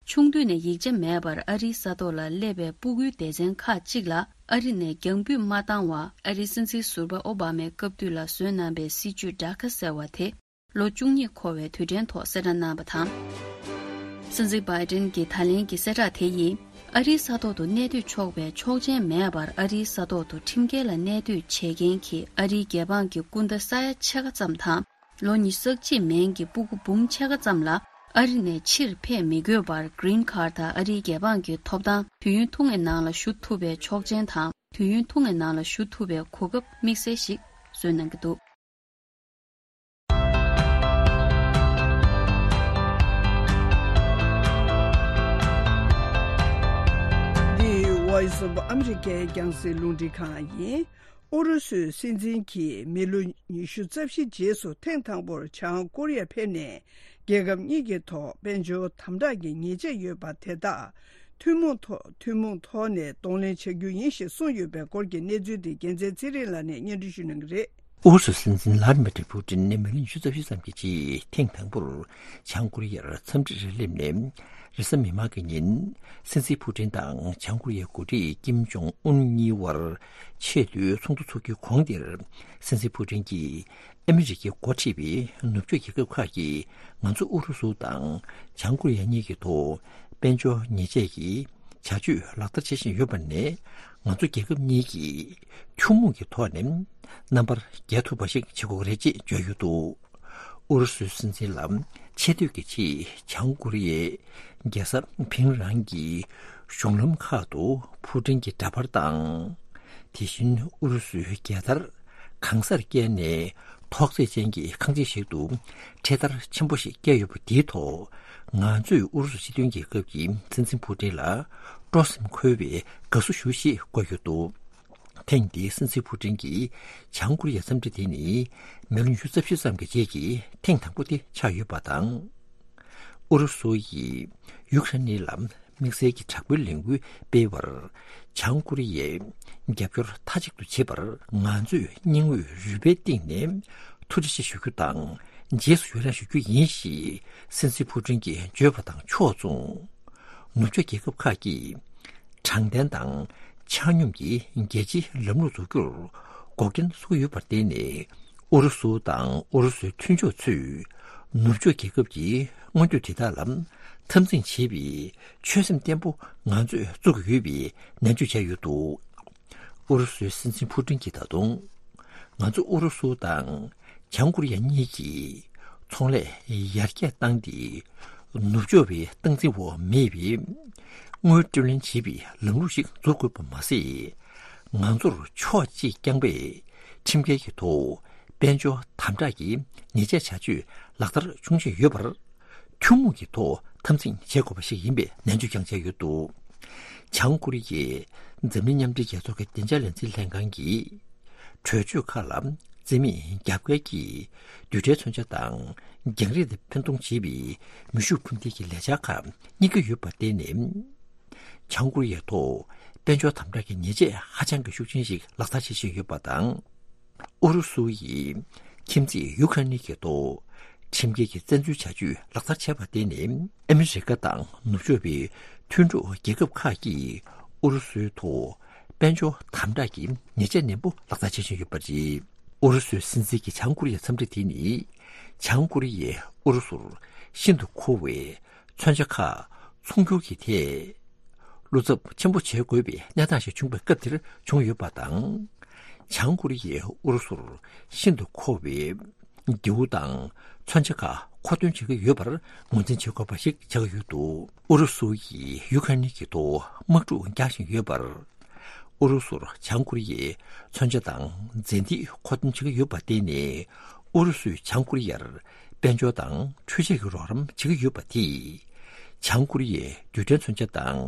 ཆུང་དུས་ནས་ཡིག་ཆ་མེད་པར་ཨ་རིའི་ས་ཐོག་ལ་སླེབས་པའི་སྤུ་གུའི་སྡེ་ཚན་ཁག་ཅིག་ལ་ཨ་རི་ནས་རྒྱང་འབུད་མ་བཏང་བར་ཨ་རིའི་སྲིད་འཛིན་ཟུར་པ་ཨོ་བྷ་མའི་སྐབས་དུས་ལ་བཟོས་གནང་བའི་སྲིད་ཇུས་ཌ་ཁ་ཟེར་བ་དེ། ལོ་བཅུ་གཉིས་འཁོར་བའི་དུས་དྲན་ཐོག་གསལ་བསྒྲགས་གནང་བ་དང་། སྲིད་འཛིན་བྷའི་ཌེན་གྱི་ད་ལན་གྱི་གསལ་བསྒྲགས་དེ་ཡིས། ཨ་རིའི་ས་ཐོག་ཏུ་གནས་སྡོད་ཆོག་པའི་ཆོག་མཆན་མེད་པར་ཨ་རིའི་ས་ཐོག་ཏུ་ཁྲིམས་འགལ་ལ་གནས་སྡོད་བྱེད་མཁན་གྱི་ཨ་རིའི་རྒྱལ་འབངས་ཀྱི་སྐུ་ཟླ་ས་ཡ་ཕྱེད་ཀ་ཙམ་དང་། ལོ་ཉི་ཤུ་རྩ་གཅིག་མན་གྱི་སྤུ་གུ་འབུམ་ཕྱེད་ཀ་ཙམ་ལ་ཨ་རི་ནས་ཕྱིར་ཕེབས་མི་དགོས་པར་གྷི་རིན་ཁཱར་དང་ཨ་རིའི་རྒྱལ་འབངས་ཀྱི་ཐོབ་ཐང་དུས་ཡུན་ཐུང་ངའི་ནང་ལ་ཞུ་ཐུབ་པའི་ཆོག་མཆན་དང་དུས་ཡུན་ཐུང་ངའི་ནང་ལ་ཞུ་ཐུབ་པའི་གོ་སྐབས་དམིགས་བསལ་ཞིག་བཟོས་གནང་གི་འདུག། འདི་Voice of America རྒྱང་སྲིང་རླུང་འཕྲིན་ཁང་ཡིན། ཨུ་རུ་སུའི་སྲིད་འཛིན་གྱིས་མི་ལོ་ཉི་ཤུ་རྩ་བཞི་རྗེས་སུ་ཐེངས་དང་པོར་བྱང་ཀོ་རི་ཡར་ཕེབས་ནས། རྒྱལ་ཁབ་གཉིས་ཀྱི་ཐོག་དཔལ་འབྱོར་དམ་དྲག་གི་ཉེས་ཆད་ཡོད་པ་དེ་དག་ཐུན་མོང་ཐོག་ཐུན་མོང་ཐོག་ནས་གདོང་ལེན་བྱ་རྒྱུ་ཡིན་ཞེས་གསུངས་ཡོད་པའི་སྐོར་གྱི་གནས་ཚུལ་དེ་རྒྱལ་མཚན་ཚེ་རིང་ལགས་ནས་སྙན་སྒྲོན་ཞུ་གནང་གི་རེད། ཨུ་རུ་སུའི་སྲིད་འཛིན་ལྷ་དི་མི་ཏྲི་ཕུ་ཏིན་ནས་མི་ལོ་ཉི་ཤུ་རྩ་བཞི་ཙམ་གྱི་རྗེས་ཐེངས་དང་པོར་བྱང་ཀོ་རི་ཡར་འཚམས་འདྲིར་སླེབས་ནས། རེས་གཟའ་མིག་དམར་གྱི་ཉིན་སྲིད་འཛིན་ཕུ་ཏིན་དང་བྱང་ཀོ་རི་ཡའི་འགོ་ཁྲིད་ཀིམ་ཇོང་ཨུན་གཉིས་དབར་ཆེས་མཐོའི་ཚོགས་འདུ་འཚོགས་རྒྱུའི་གོང་དེར། སྲིད་འཛིན་ཕུ་ཏིན་གྱིས་ཨ་མི་རི་ཀའི་འགོ་ཁྲིད་པའི་ནུབ་ཕྱོགས་རྒྱལ་ཁབ་ཁག་གིས་ང་ཚོ་ཨུ་རུ་སུ་དང་བྱང་ཀོ་རི་ཡ་གཉིས་ཀྱི་ཐོག་དཔལ་འབྱོར་ཉེས་ཆད་ཀྱི་བྱ་སྤྱོད་ལག་བསྟར་བྱེད་བཞིན་ཡོད་པ་ནས། ང་ཚོ་རྒྱལ་ཁབ་གཉིས་ཀྱིས་ཐུན་མོང་གི་ཐོག་ནས་རྣམ་པར་རྒྱལ་ཐུབ་པ་ཞིག་བྱེད་དགོས་རེད་ཅེས་བརྗོད་ཡོད་འདུག། ཨུ་རུ་སུའི་སྲིད་འཛིན་ལ་ཆེ་བསྟོད་ཀྱི་ཆེད་བྱང་ཀོ་རི་ཡའི་རྒྱལ་ས་ཕིང་རང་གི་གཞུང་ལམ་ཁག་ཏུ་ཕུ་ཏིན་གྱི་འདྲ་པར་དང་། དེ་བཞིན་ཨུ་རུ་སུའི་རྒྱལ་དར་གང་སར་བཀལ་ནས་ཐོག་བརྩེགས་ཅན་གྱི་ཁང་ཆེན་ཞིག་ཏུ་འཕྲེད་དར་ཆེན་པོ་ཞིག་བཀལ་ཡོད་པ་དེའི་ཐོག་ང་ཚོས་ཨུ་རུ་སུ་སྤྱི་མཐུན་རྒྱལ་ཁབ་ཀྱི་སྲིད་འཛིན་ཕུ་ཏིན་ལ་སྤྲོ་སེམས་འཁོལ་བའི་དགའ་བསུ་ཞུ་ཞེས་བཀོད་ཡོད་འདུག། ཐེངས་འདིའི་སྲིད་འཛིན་ཕུ་ཏིན་གྱི་བྱང་ཀོ་རི་ཡའི་འཚམས་འདྲི་དེ་ནི་མི་ལོ་ཉི་ཤུ་རྩ་བཞི་ཙམ་གྱི་རྗེས་ཀྱི་ཐེངས་དང་པོ་དེ་ཆགས་ཡོད་པ་དང་། ཨུ་རུ་སུ་ཡིས་ཡུ་ཁ་རེན་ལ་དམིགས་བསལ་གྱི་དྲག་པོའི་ལས་འགུལ་སྤེལ་བར་བྱང་ཀོ་རི་ཡས་རྒྱབ་སྐྱོར་མཐའ་གཅིག་ཏུ་བྱེད་པར་ང་ཚོས་སྙིང་དབུས་རུས་པའི་གཏིང་ནས་ཐུགས་རྗེ་ཆེ་ཞུ་རྒྱུ་དང་། རྗེས་སུ་ཡི་རང་ཞུ་རྒྱུ་ཡིན་ཞེས་སྲིད་འཛིན་ཕུ་ཏིན་གྱིས་བརྗོད་པ་དང་ཕྱོགས་མཚུངས། ནུབ་ཕྱོགས་རྒྱལ་ཁབ་ཁག་གིས་དྲང་བདེན་དང་ཆ་སྙོམས་ཀྱི་རྒྱལ་སྤྱིའི་ལམ་ལུགས་འཛུགས་རྒྱུར་འགོག་རྐྱེན་བཟོ་གི་ཡོད་པར་བརྟེན་ནས། ཨུ་རུ་སུ་དང་ཨུ་རུ་སུའི་མཐུན་ཕྱོགས་ཚོས་ནུབ་ཕྱོགས་རྒྱལ་ཁབ་ཀྱི་མངོན་འདོད་དེ་དག་ལ་འཐབ་འཛིང་བྱེད་པའི་ཆོད་སེམས་བརྟན་པོ་ང་ཚོས་བཙུགས་ཀྱི་ཡོད་པའི་ནན་བརྗོད་བྱས་ཡོད་འདུག། ཨུ་རུ་སུའི་སྲིད་འཛིན་ཕུ་ཏིན་གྱིས་ད་དུང་། ང་ཚོ་ཨུ་རུ་སུ་དང་བྱང་ཀོ་རི་ཡ་གཉིས་ཀྱིས་ཚོང་ལས་ཡར་རྒྱས་བཏང་སྟེ། ནུབ་ཕྱོགས་པའི་སྟངས་འཛིན་འོག་མེད་པའི་དངུལ་སྤྲོད་ལེན་བྱེད་པའི་ལམ་ལུགས་ཤིག་འཛུགས་དགོས་པ་མ་ཟད། ང་ཚོར་ཕྱོགས་གཅིག་རྐྱང་པས་ཁྲིམས་འགལ་གྱི་ཐོག་དཔལ་འབྱོར་དམ་དྲག་གི་ཉེས་ཆད་བྱ་སྤྱོད་ལག་བསྟར་བྱུང་བཞིན་ཡོད་པར། ཐུན་མོང་གི་ཐོག་འཐབ་འཛིང་བྱེད་དགོས་པ་ཞིག་ཡིན་པའི་ནན་བརྗོད་ཀྱང་བྱས་ཡོད་འདུག། བྱང་ཀོ་རི་ཡས་འཛམ་གླིང་མཉམ་འབྲེལ་རྒྱལ་ཚོགས་ཀྱི་བདེ་འཇགས་ལས་འཛིན་ལྷན་ཁང་གི་གྲོས་ཆོད་ཁག་ལ་རྩིས་མེད་རྒྱབ་འགལ་གྱིས་རྡུལ་ཕྲན་མཚོན་ཆ་དང་རྒྱང་རིང་དུ་འཕེན་གཏོང་བྱེད་པའི་མེ་ཤུགས་འཕུར་མདེལ་གྱི་ལས་འཆར་ཁག་རྙེད་ཀྱི་ཡོད་པར་བརྟེན་ནས། བྱང་ཀོ་རི་ཡའི་ཐོག་དཔལ་འབྱོར་དམ་དྲག་གི་ཉེས་ཆད་ཧ་ཅང་གི་ཤུགས་ཆེན་ཞིག་ལག་བསྟར་བྱེད་བཞིན་ཡོད་པ་དང་། ཨུ་རུ་སུ་ཡིས་ཁྱིམ་མཚེས་ཡུ་ཁ་རེན་གྱི་ཐོག་ཁྲིམས་འགལ་གྱི་བཙན་འཛུལ་བྱ་སྤྱོད་ལག་བསྟར་བྱས་པར་བརྟེན་ནས། ཨ་མི་རི་ཀ་དང་ནུབ་ཕྱོགས་པའི་མཐུན་གྲོགས་རྒྱལ་ཁབ་ཁག་གིས་ཨུ་རུ་སུའི་ཐོག་དཔལ་འབྱོར་དམ་དྲག་གི་ཉེས་ཆད་ནན་པོ་ལག་བསྟར་བྱེད་བཞིན་ཡོད་པ་རེད། ཨུ་རུ་སུའི་སྲིད་འཛིན་གྱི་བྱང་ཀོ་རི་ཡའི་འཚམས་འདྲི་དེ་ནི། བྱང་ཀོ་རི་ཡས་ཨུ་རུ་སུར་ཤིན་ཏུ་མཁོ་བའི་མཚོན་ཆ་ཁག་ཚོང་སྒྱུར་གྱི་ཐད་བློ་འཚབ་ཆེན་པོ་བྱེད་དགོས་པའི་གནས་སྟངས་ཤིག་བྱུང་བའི་སྐབས་དེར་བྱུང་ཡོད་པ་དང་། བྱང་ཀོ་རི་ཡས་ཨུ་རུ་སུར་ཤིན་ཏུ་མཁོ་བའི་མདེའུ་དང་མཚོན་ཆ་ཁག་མཁོ་འདོན་བྱེད་ཀྱི་ཡོད་པར་ངོས་འཛིན་བྱེད་དགོས་པ་ཞིག་ཆགས་ཀྱི་ཡོད་འདུག། ཨུ་རུ་སུ་ཡིས་ཡུ་ཁ་རེན་གྱི་ཐོག་དམག་འཁྲུག་རྒྱག་བཞིན་ཡོད་པར། ཨུ་རུ་སུར་བྱང་ཀོ་རི་ཡས་མཚོན་ཆ་དང་རྫས་མདེལ་མཁོ་འདོན་བྱེད་ཀྱི་ཡོད་པར་བརྟེན་ནས། ཨུ་རུ་སུས་བྱང་ཀོ་རི་ཡར་དཔལ་འབྱོར་དང་འཕྲུལ་ཆས་ཀྱི་རོགས་རམ་བྱེད་ཀྱི་ཡོད་པ་དེས། བྱང་ཀོ་རི་ཡའི་རྡུལ་ཕྲན་མཚོན་ཆ་དང་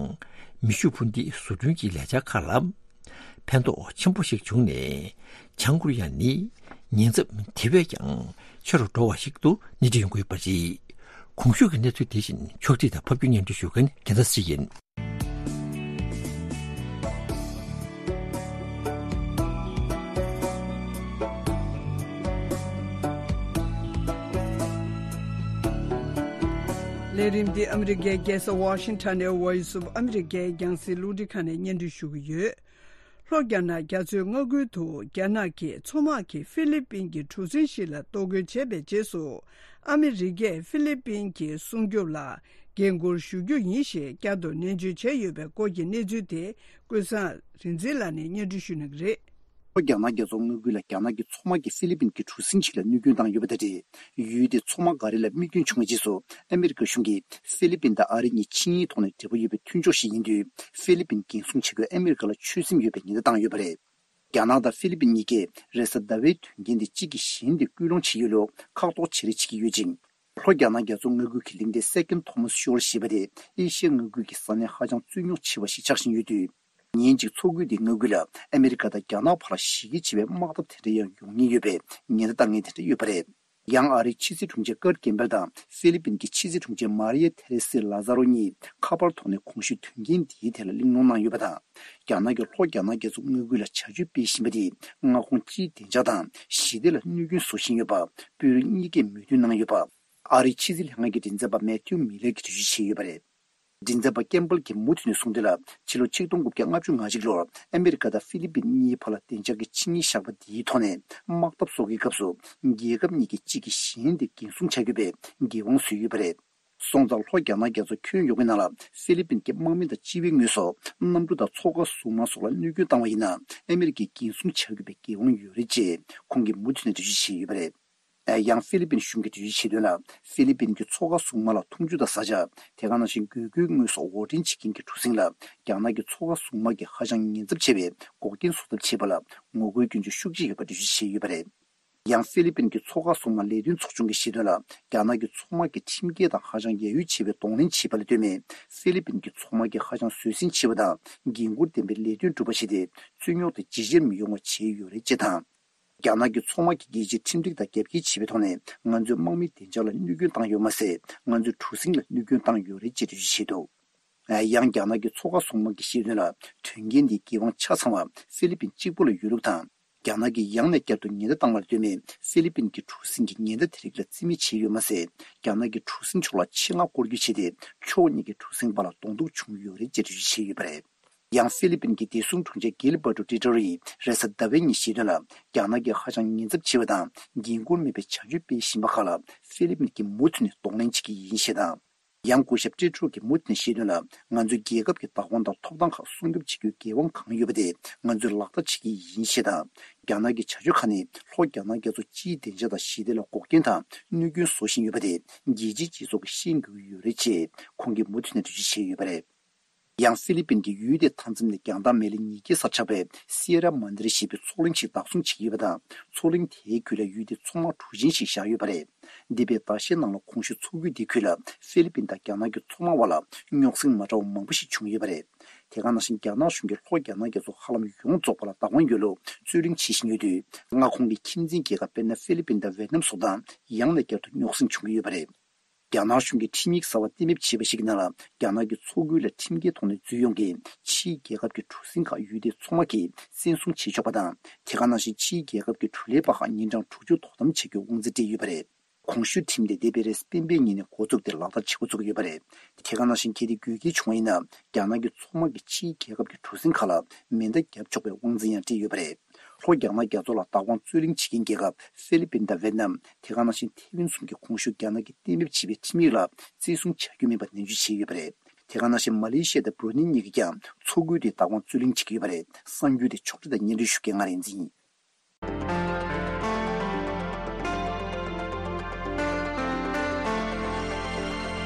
མེ་ཤུགས་འཕུར་མདེལ་བཟོ་སྐྲུན་གྱི་ལས་འཆར་ཁག་ལ་ཕན་ཐོགས་ཆེན་པོ་ཞིག་བྱུང་ནས། བྱང་ཀོ་རི་ཡ་ནི་ཉེན་ཚབས་དེ་བས་ཀྱང་ཆེ་རུ་འགྲོ་བ་ཞིག་ཏུ་སྣེ་ཁྲིད་ཡོང་གི་ཡོད་པ་རེད། གོང་ཞུས་ཀྱི་གནས་ཚུལ་དེ་བཞིན་ཕྱོགས་སྒྲིག་དང་ཕབ་སྒྱུར་སྙན་སྒྲོན་ཞུ་མཁན་རྒྱལ་མཚན་ཚེ་རིང་ཡིན། ལས་རིམ་འདི་ཨ་མི་རི་ཀའི་རྒྱལ་ས་ཝ་ཤིང་ཊོན་ནས་Voice of America རྒྱང་སྲིང་རླུང་འཕྲིན་ཁང་ནས་སྙན་སྒྲོན་ཞུ་གི་ཡོད། ལྷོ་རྒྱ་ནག་རྒྱ་མཚོའི་མངའ་ཁུལ་དུ་རྒྱ་ནག་གི་མཚོ་དམག་གིས་ཧྥི་ལི་པིན་གྱི་གྲུ་གཟིངས་ཤིག་ལ་གཏོར་རྒོལ་བྱས་པའི་རྗེས་སུ། ཨ་མི་རི་ཀས་ཧྥི་ལི་པིན་གྱི་སྲུང་སྐྱོབ་ལ་འགན་འཁུར་ཞུ་རྒྱུ་ཡིན་ཞེས་བསྐྱར་དུ་ནན་བརྗོད་བྱས་ཡོད་པའི་སྐོར་གྱི་གནས་ཚུལ་དེ་ཀུན་བཟང་རིག་འཛིན་ལགས་ནས་སྙན་སྒྲོན་ཞུ་གནང་གི་རེད། ལྷོ་རྒྱ་ནག་རྒྱ་མཚོ་མངའ་ཁུལ་ལ་རྒྱ་ནག་གི་མཚོ་དམག་གིས་ཧྥི་ལི་པིན་གྱི་གྲུ་གཟིངས་ཤིག་ལ་གནོད་སྐྱོན་བཏང་ཡོད་པ་དང་འབྲེལ། ཡུལ་དེའི་མཚོ་དམག་འགའ་རེ་ལ་རྨས་སྐྱོན་བྱུང་བའི་རྗེས་སུ། ཨ་མི་རི་ཀ་གཞུང་གིས་ཧྥི་ལི་པིན་དང་ཨ་རི་གཉིས་ཆིངས་ཡིག་ཐོག་ནས་འབྲེལ་བ་ཡོད་པའི་མཐུན་ཕྱོགས་ཤིག་ཡིན་དུས། ཧྥི་ལི་པིན་འགན་སྲུང་བྱེད་རྒྱུར་ཨ་མི་རི་ཀ་ལ་ཆོད་སེམས་ཡོད་པའི་ཉེན་བརྡ་བཏང་ཡོད་པ་རེད། རྒྱ་ནག་དང་ཧྥི་ལི་པིན་གཉིས་ཀས་རེས་གཟའ་ཟླ་བའི་དོན་རྐྱེན་དེ་གཅིག་གིས་གཞན་དེ་སྐུལ་སློང་བྱེད་ཡུལ་ལ་ཁག་ཐོག་བྱེད་རེས་བྱེད་ཀྱི་ཡོད་ཅིང་། ལྷོ་རྒྱ་ནག་རྒྱ་མཚོ་མངའ་ཁུལ་གྱི་གླིང་ཕྲན་Second Thomas Shoal ཞེས་པ་དེ་ཨེ་ཤི་ཡ་མངའ་ཁུལ་གྱི་ས་གནས་ཧ་ཅང་རྩོད་རྙོག་ཆེ་བ་ཞིག་ཆགས་བཞིན་ཡོད་དུས། ཉིན་གཅིག་མཚོ་ཁུལ་དེའི་མངའ་ཁུལ་ལ་ཨ་མི་རི་ཀ་དང་རྒྱ་ནག་བར་ལ་གཞི་རྒྱ་ཆེ་བའི་དམག་འཐབ་དེ་འདྲ་ཡང་ཡོང་ཉེན་ཡོད་པའི་ཉེན་བརྡ་བཏང་མཁན་དེ་འདྲ་ཡོད་པ་རེད། ཡང་ཨ་རིའི་ཕྱི་སྲིད་དྲུང་ཆེ་ཀར་ཀེམ་པེལ་དང་ཧྥི་ལི་པིན་གྱི་ཕྱི་སྲིད་དྲུང་ཆེ་མཱ་རི་ཡ་ཐེ་རེ་སི་ལ་ཛ་རོ་གཉིས་ཁ་པར་ཐོག་ནས་གོང་ཞུས་དོན་རྐྱེན་འདིའི་ཐད་ལ་གླེང་སློང་གནང་ཡོད་པ་དང་། རྒྱ་ནག་གིས་ལྷོ་རྒྱ་ནག་རྒྱ་མཚོ་མངའ་ཁུལ་ལ་བྱ་སྤྱོད་སྤེལ་བཞིན་པ་དེས་མངའ་ཁོངས་སྤྱིའི་བདེ་འཇགས་དང་ཞི་བདེ་ལ་གནོད་སྐྱོན་བཟོ་བཞིན་ཡོད་པ། དཔོན་རིགས་གཉིས་ཀས་མོས་མཐུན་གནང་ཡོད་པ། ཨ་རིའི་ཕྱི་སྲིད་ལྷན་ཁང་གི་མགྲིན་ཚབ་པ་མེ་ཐིའུ་མི་ལེར་གྱིས་འགྲེལ་བརྗོད་བྱས་ཡོད་པ་རེད། མགྲིན་ཚབ་པ་ཀེམ་པལ་གྱིས་མུ་མཐུད་ནས་གསུངས་དོན་ལ། ཕྱི་ལོ་ཆིག་སྟོང་དགུ་བརྒྱ་ལྔ་བཅུ་ང་གཅིག་ལོར་ཨ་མི་རི་ཀ་དང་ཧྥི་ལི་པིན་གཉིས་བར་ལ་བདེ་འཇགས་ཀྱི་ཆིངས་ཡིག་བཞག་པ་དེའི་ཐོག་ནས་དམག་འཐབ་སོགས་ཀྱི་སྐབས་སུ་རྒྱལ་ཁབ་གཉིས་ཀྱིས་གཅིག་གིས་གཞན་དེ་འགན་སྲུང་བྱ་དགོས་པའི་འགན་དབང་བཟོས་ཡོད་པ་རེད། སོང་ཙང་ལྷོ་རྒྱ་ནག་རྒྱ་མཚོ་ཁྱོན་ཡོངས་ཀྱི་ནང་ལ་ཧྥི་ལི་པིན་གྱི་དམག་མི་དང་སྤྱི་པའི་དངོས་ཟོག་གནམ་གྲུ་དང་མཚོ་ཁ་སྲུང་དམག་སོགས་ལ་གནོད་སྐྱོན་བཏང་བ་ཡིན་ན། ཨ་མི་རི་ཀས་འགན་སྲུང་བྱ་དགོས་པའི་འགན་དབང་ཡོད་རེད་ཅེས་ཁོང་གིས་མུ་མཐུད་ནས་འགྲེལ་བརྗོད་བྱས་ཡོད་པ་རེད། ཡང་ཧྥི་ལི་པིན་གཞུང་གིས་འགྲེལ་བརྗོད་བྱས་དོན་ལ། ཧྥི་ལི་པིན་གྱི་མཚོ་ཁ་སྲུང་དམག་ལ་འཐུང་ཆུ་དང་བཟའ་བཅའ། དེ་ག་ནང་བཞིན་དགོས་མཁོའི་དངོས་ཟོག་དབོར་འདྲེན་བྱེད་མཁན་གྱི་གྲུ་གཟིངས་ལ། རྒྱ་ནག་གི་མཚོ་ཁ་སྲུང་དམག་གིས་ཧ་ཅང་ཉེན་ཚབས་ཆེ་བའི་འགོག་རྐྱེན་བཟོ་ཐབས་བྱས་པ་ལ་ངོ་རྒོལ་སྐྱོན་བརྗོད་ཤུགས་ཆེ་ཡོད་པ་འགྲེལ་བརྗོད་བྱས་ཡོད་པ་རེད། ཡང་ཧྥི་ལི་པིན་གྱི་མཚོ་ཁ་སྲུང་དམག་ལས་དོན་ཚོགས་ཆུང་གིས་བཤད་དོན་ལ། རྒྱ་ནག་གི་མཚོ་དམག་གིས་ཁྲིམས་འགལ་དང་ཧ་ཅང་ཡ་ཡུལ་ཆེ་བའི་གདོང་ལེན་བྱས་པ་ལ་ལྟོས་མེད། ཧྥི་ལི་པིན་གྱི་མཚོ་དམག་གིས་ཧ་ཅང་བཟོད་བསྲན་ཆེ་བ་དང་། འགན་འཁུར་ལྡན་པའི་ལས་དོན་སྒྲུབ་པ་བྱས་ཏེ། རྩོད་རྙོག་དེ་ཇེ་ཆེར་མི་ཡོང་བ་བྱས་ཡོད་རེད་ཅེས་དང་། རྒྱ་ནག་གི་མཚོ་དམག་གིས་རྒྱལ་སྤྱིའི་ཁྲིམས་སྒྲིག་དང་རྒྱབ་འགལ་བྱས་པའི་ཐོག་ནས་ང་ཚོའི་དམག་མིའི་བདེ་འཇགས་ལ་གནོད་སྐྱོན་བཏང་ཡོད་མ་ཟད། ང་ཚོའི་གྲུ་གཟིངས་ལ་གནོད་སྐྱོན་བཏང་ཡོད་རེད་ཅེས་འགྲེལ་བརྗོད་བྱས་འདུག་ཡང་རྒྱ་ནག་གི་མཚོ་ཁ་སྲུང་དམག་གིས་བཤད་དོན་ལ། དོན་རྐྱེན་འདིའི་འགན་དབང་ཆ་ཚང་བ་ཧྥི་ལི་པིན་གཅིག་པུ་ལ་ཡོད་ལུགས་དང་། རྒྱ་ནག་གིས་ཡང་ནས་བསྐྱར་དུ་ཉེན་བརྡ་བཏང་བ་ལ་ལྟོས་མེད། ཧྥི་ལི་པིན་གྱི་གྲུ་གཟིངས་ཀྱིས་ཉེན་བརྡ་དེ་རིགས་ལ་རྩིས་མེད་བྱས་ཡོད་མ་ཟད། རྒྱ་ནག་གི་གྲུ་གཟིངས་ཕྱོགས་ལ་ཆེད་མངགས་སྐོར་སྐྱོད་བྱས་ཏེ། ཕྱོགས་གཉིས་ཀྱི་གྲུ་གཟིངས་བར་ལ་གདོང་ཐུག་བྱུང་ཡོད་རེད་ཅེས་འགྲེལ་བརྗོད་བྱས་ཡོད་པ་རེད། ཡང་ཧྥི་ལི་པིན་གྱི་བདེ་སྲུང་དྲུང་ཆེ་གིལ་བར་ཏོ་ཏི་ཏོ་རིས་རེས་གཟའ་ཟླ་བའི་ཉིན་བཤད་དོན་ལ། རྒྱ་ནག་གིས་ཧ་ཅང་ཉེན་ཚབས་ཆེ་བ་དང་འགན་འཁུར་མེད་པའི་བྱ་སྤྱོད་སྤེལ་བཞིན་པ་ཁག་ལ་ཧྥི་ལི་པིན་གྱིས་མུ་མཐུད་ནས་གདོང་ལེན་བྱེད་ཀྱི་ཡིན་ཞེས་དང་། ཡང་སྐུ་ཞབས་ཏི་ཏོ་རིས་ཀྱིས་མུ་མཐུད་ནས་བཤད་དོན་ལ། ང་ཚོའི་རྒྱལ་ཁབ་ཀྱི་བདག་དབང་དང་ཐོབ་ཐང་ཁག་སྲུང་སྐྱོབ་བྱེད་རྒྱུའི་འགན་དབང་གང་ཡོད་པ་དེ་ང་ཚོས་ལག་བསྟར་བྱེད་ཀྱི་ཡིན་ཞེས་དང་། རྒྱ་ནག་གི་བྱ་སྤྱོད་ཁག་ནི་ལྷོ་རྒྱ་ནག་རྒྱ་མཚོ་སྤྱིའི་བདེ་འཇགས་དང་ཞི་བདེ་ལ་འགོག་རྐྱེན་དང་གནོད་སྐྱོན་བཟོ་བཞིན་ཡོད་པ་དེ་རྒྱལ་སྤྱིའི་སྤྱི་ཚོགས་ཀྱིས་ཤེས་དགོས་ཀྱི་ཡོད་རེད་ཅེས་ཁོང་གིས་མུ་མཐུད་ནས་འགྲེལ་བརྗོད་བྱས་ཡོད་པ་རེད། ཡང་ཧྥི་ལི་པིན་གྱིས་ཡུལ་དེའི་མཐའ་མཚམས་ནས་རྒྱང་ཐག་མེ་ལེ་ཉིས་བརྒྱའི་སར་ཆགས་པའི་སི་ཡེ་ར་མན་དི་རི་ཞེས་པའི་མཚོ་གླིང་ཞིག་བདག་བཟུང་བྱེད་ཀྱི་ཡོད་པ་དང་། མཚོ་གླིང་དེའི་ཁུལ་ལ་ཡུལ་དེའི་མཚོ་དམག་གྲུ་ཆེན་ཞིག་བཞག་ཡོད་པ་རེད། འདས་པའི་ཟླ་ཤས་ནང་ལ་གོང་ཞུས་མཚོ་ཁུལ་དེའི་ཁུལ་ལ་ཧྥི་ལི་པིན་དང་རྒྱ་ནག་གི་མཚོ་དམག་བར་ལ་རྙོག་ཟིང་མ་འདྲ་བ་མང་པོ་ཞིག་བྱུང་ཡོད་པ་རེད། དེ་ག་ནང་བཞིན་རྒྱ་ནག་གཞུང་གིས་ལྷོ་རྒྱ་ནག་རྒྱ་མཚོ་ཧ་ལམ་ཡོངས་རྫོགས་པ་ལ་བདག་དབང་ཡོད་ལུགས་རྩོད་གླེང་བྱེད་བཞིན་ཡོད་དུས། མངའ་ཁོངས་ཀྱི་ཁྱིམ་མཚེས་རྒྱལ་ཁབ་དཔེར་ན་ཧྥི་ལི་པིན་དང་ཝེ་ཏི་ནམ་སོགས་དང་ཡང་ནས་བསྐྱར་དུ་རྙོག་ཟིང་བྱུང་གི་ཡོད་པ་རེད། རྒྱ་ནག་གཞུང་གིས་ཁྲིམས་ཡིག་གསར་བ་གཏན་འབེབས་བྱས་པ་ཞིག་གི་ནང་ལ། རྒྱ་ནག་གིས་མཚོ་ཁུལ་ལ་ཁྲིམས་འགལ་ཐོག་ནས་འཛུལ་ཡོང་མཁན་ཕྱིའི་རྒྱལ་ཁབ་ཀྱི་གྲུ་གཟིངས་ཁག་ཡུལ་དེའི་མཚོ་དམག་གིས་བཙན་བཟུང་བྱེད་ཆོག་པ་དང་། དེ་ག་ནང་བཞིན་ཕྱིའི་རྒྱལ་ཁབ་ཀྱི་གྲུ་ལས་པ་ཁག་ཉིན་གྲངས་དྲུག་ཅུ་དོ་དམ་བྱ་རྒྱུའི་དབང་འཛིན་སྤྲད་ཡོད་པ་རེད། གོང་ཞུས་ཁྲིམས་དེ་འདས་པའི་རེས་གཟའ་སྤེན་པའི་ཉིན་ནས་འགོ་བཙུགས་ཏེ་ལག་བསྟར་བྱེད་འགོ་བཙུགས་ཡོད་པ་རེད། དེ་ག་ནང་བཞིན་གལ་ཏེ་དགོས་གལ་བྱུང་བ་ཡིན་ན། རྒྱ་ནག་གི་མཚོ་དམག་གིས་ཕྱིའི་རྒྱལ་ཁབ་ཀྱི་གྲུ་གཟིངས་ཁག་ལ་མེ་མདའ་བརྒྱབ་ཆོག་པའི་དབང་འཛིན་ཡང་སྤྲད་ཡོད་པ་རེད། ལྷོ་རྒྱ་ནག་རྒྱ་མཚོ་ལ་བདག་དབང་རྩོད་གླེང་བྱེད་མཁན་རྒྱལ་ཁབ་ཧྥི་ལི་པིན་དང་ཝེ་ཏི་ནམ། དེ་ག་ནང་བཞིན་ཐེ་ཝན་གསུམ་གྱིས་གོང་ཞུས་རྒྱ་ནག་གིས་གཏན་འབེབས་བྱས་པའི་ཁྲིམས་ཡིག་ལ་བརྩི་སྲུང་བྱ་རྒྱུ་མིན་པ་ནན་བརྗོད་བྱས་ཡོད་པ་རེད། དེ་ག་ནང་བཞིན་མ་ལེ་ཤི་ཡ་དང་བྷུ་རུ་ནེ་གཉིས་ཀྱིས་ཀྱང་མཚོ་ཁུལ་དེའི་བདག་དབང་རྩོད་གླེང་བྱེད་ཀྱི་ཡོད་པ་རེད། གསར་འགྱུར་དེ་ཕྱོགས་སྒྲིག་དང་སྙན་སྒྲོན་ཞུ་མཁན་ང་རིག་འཛིན་ཡིན།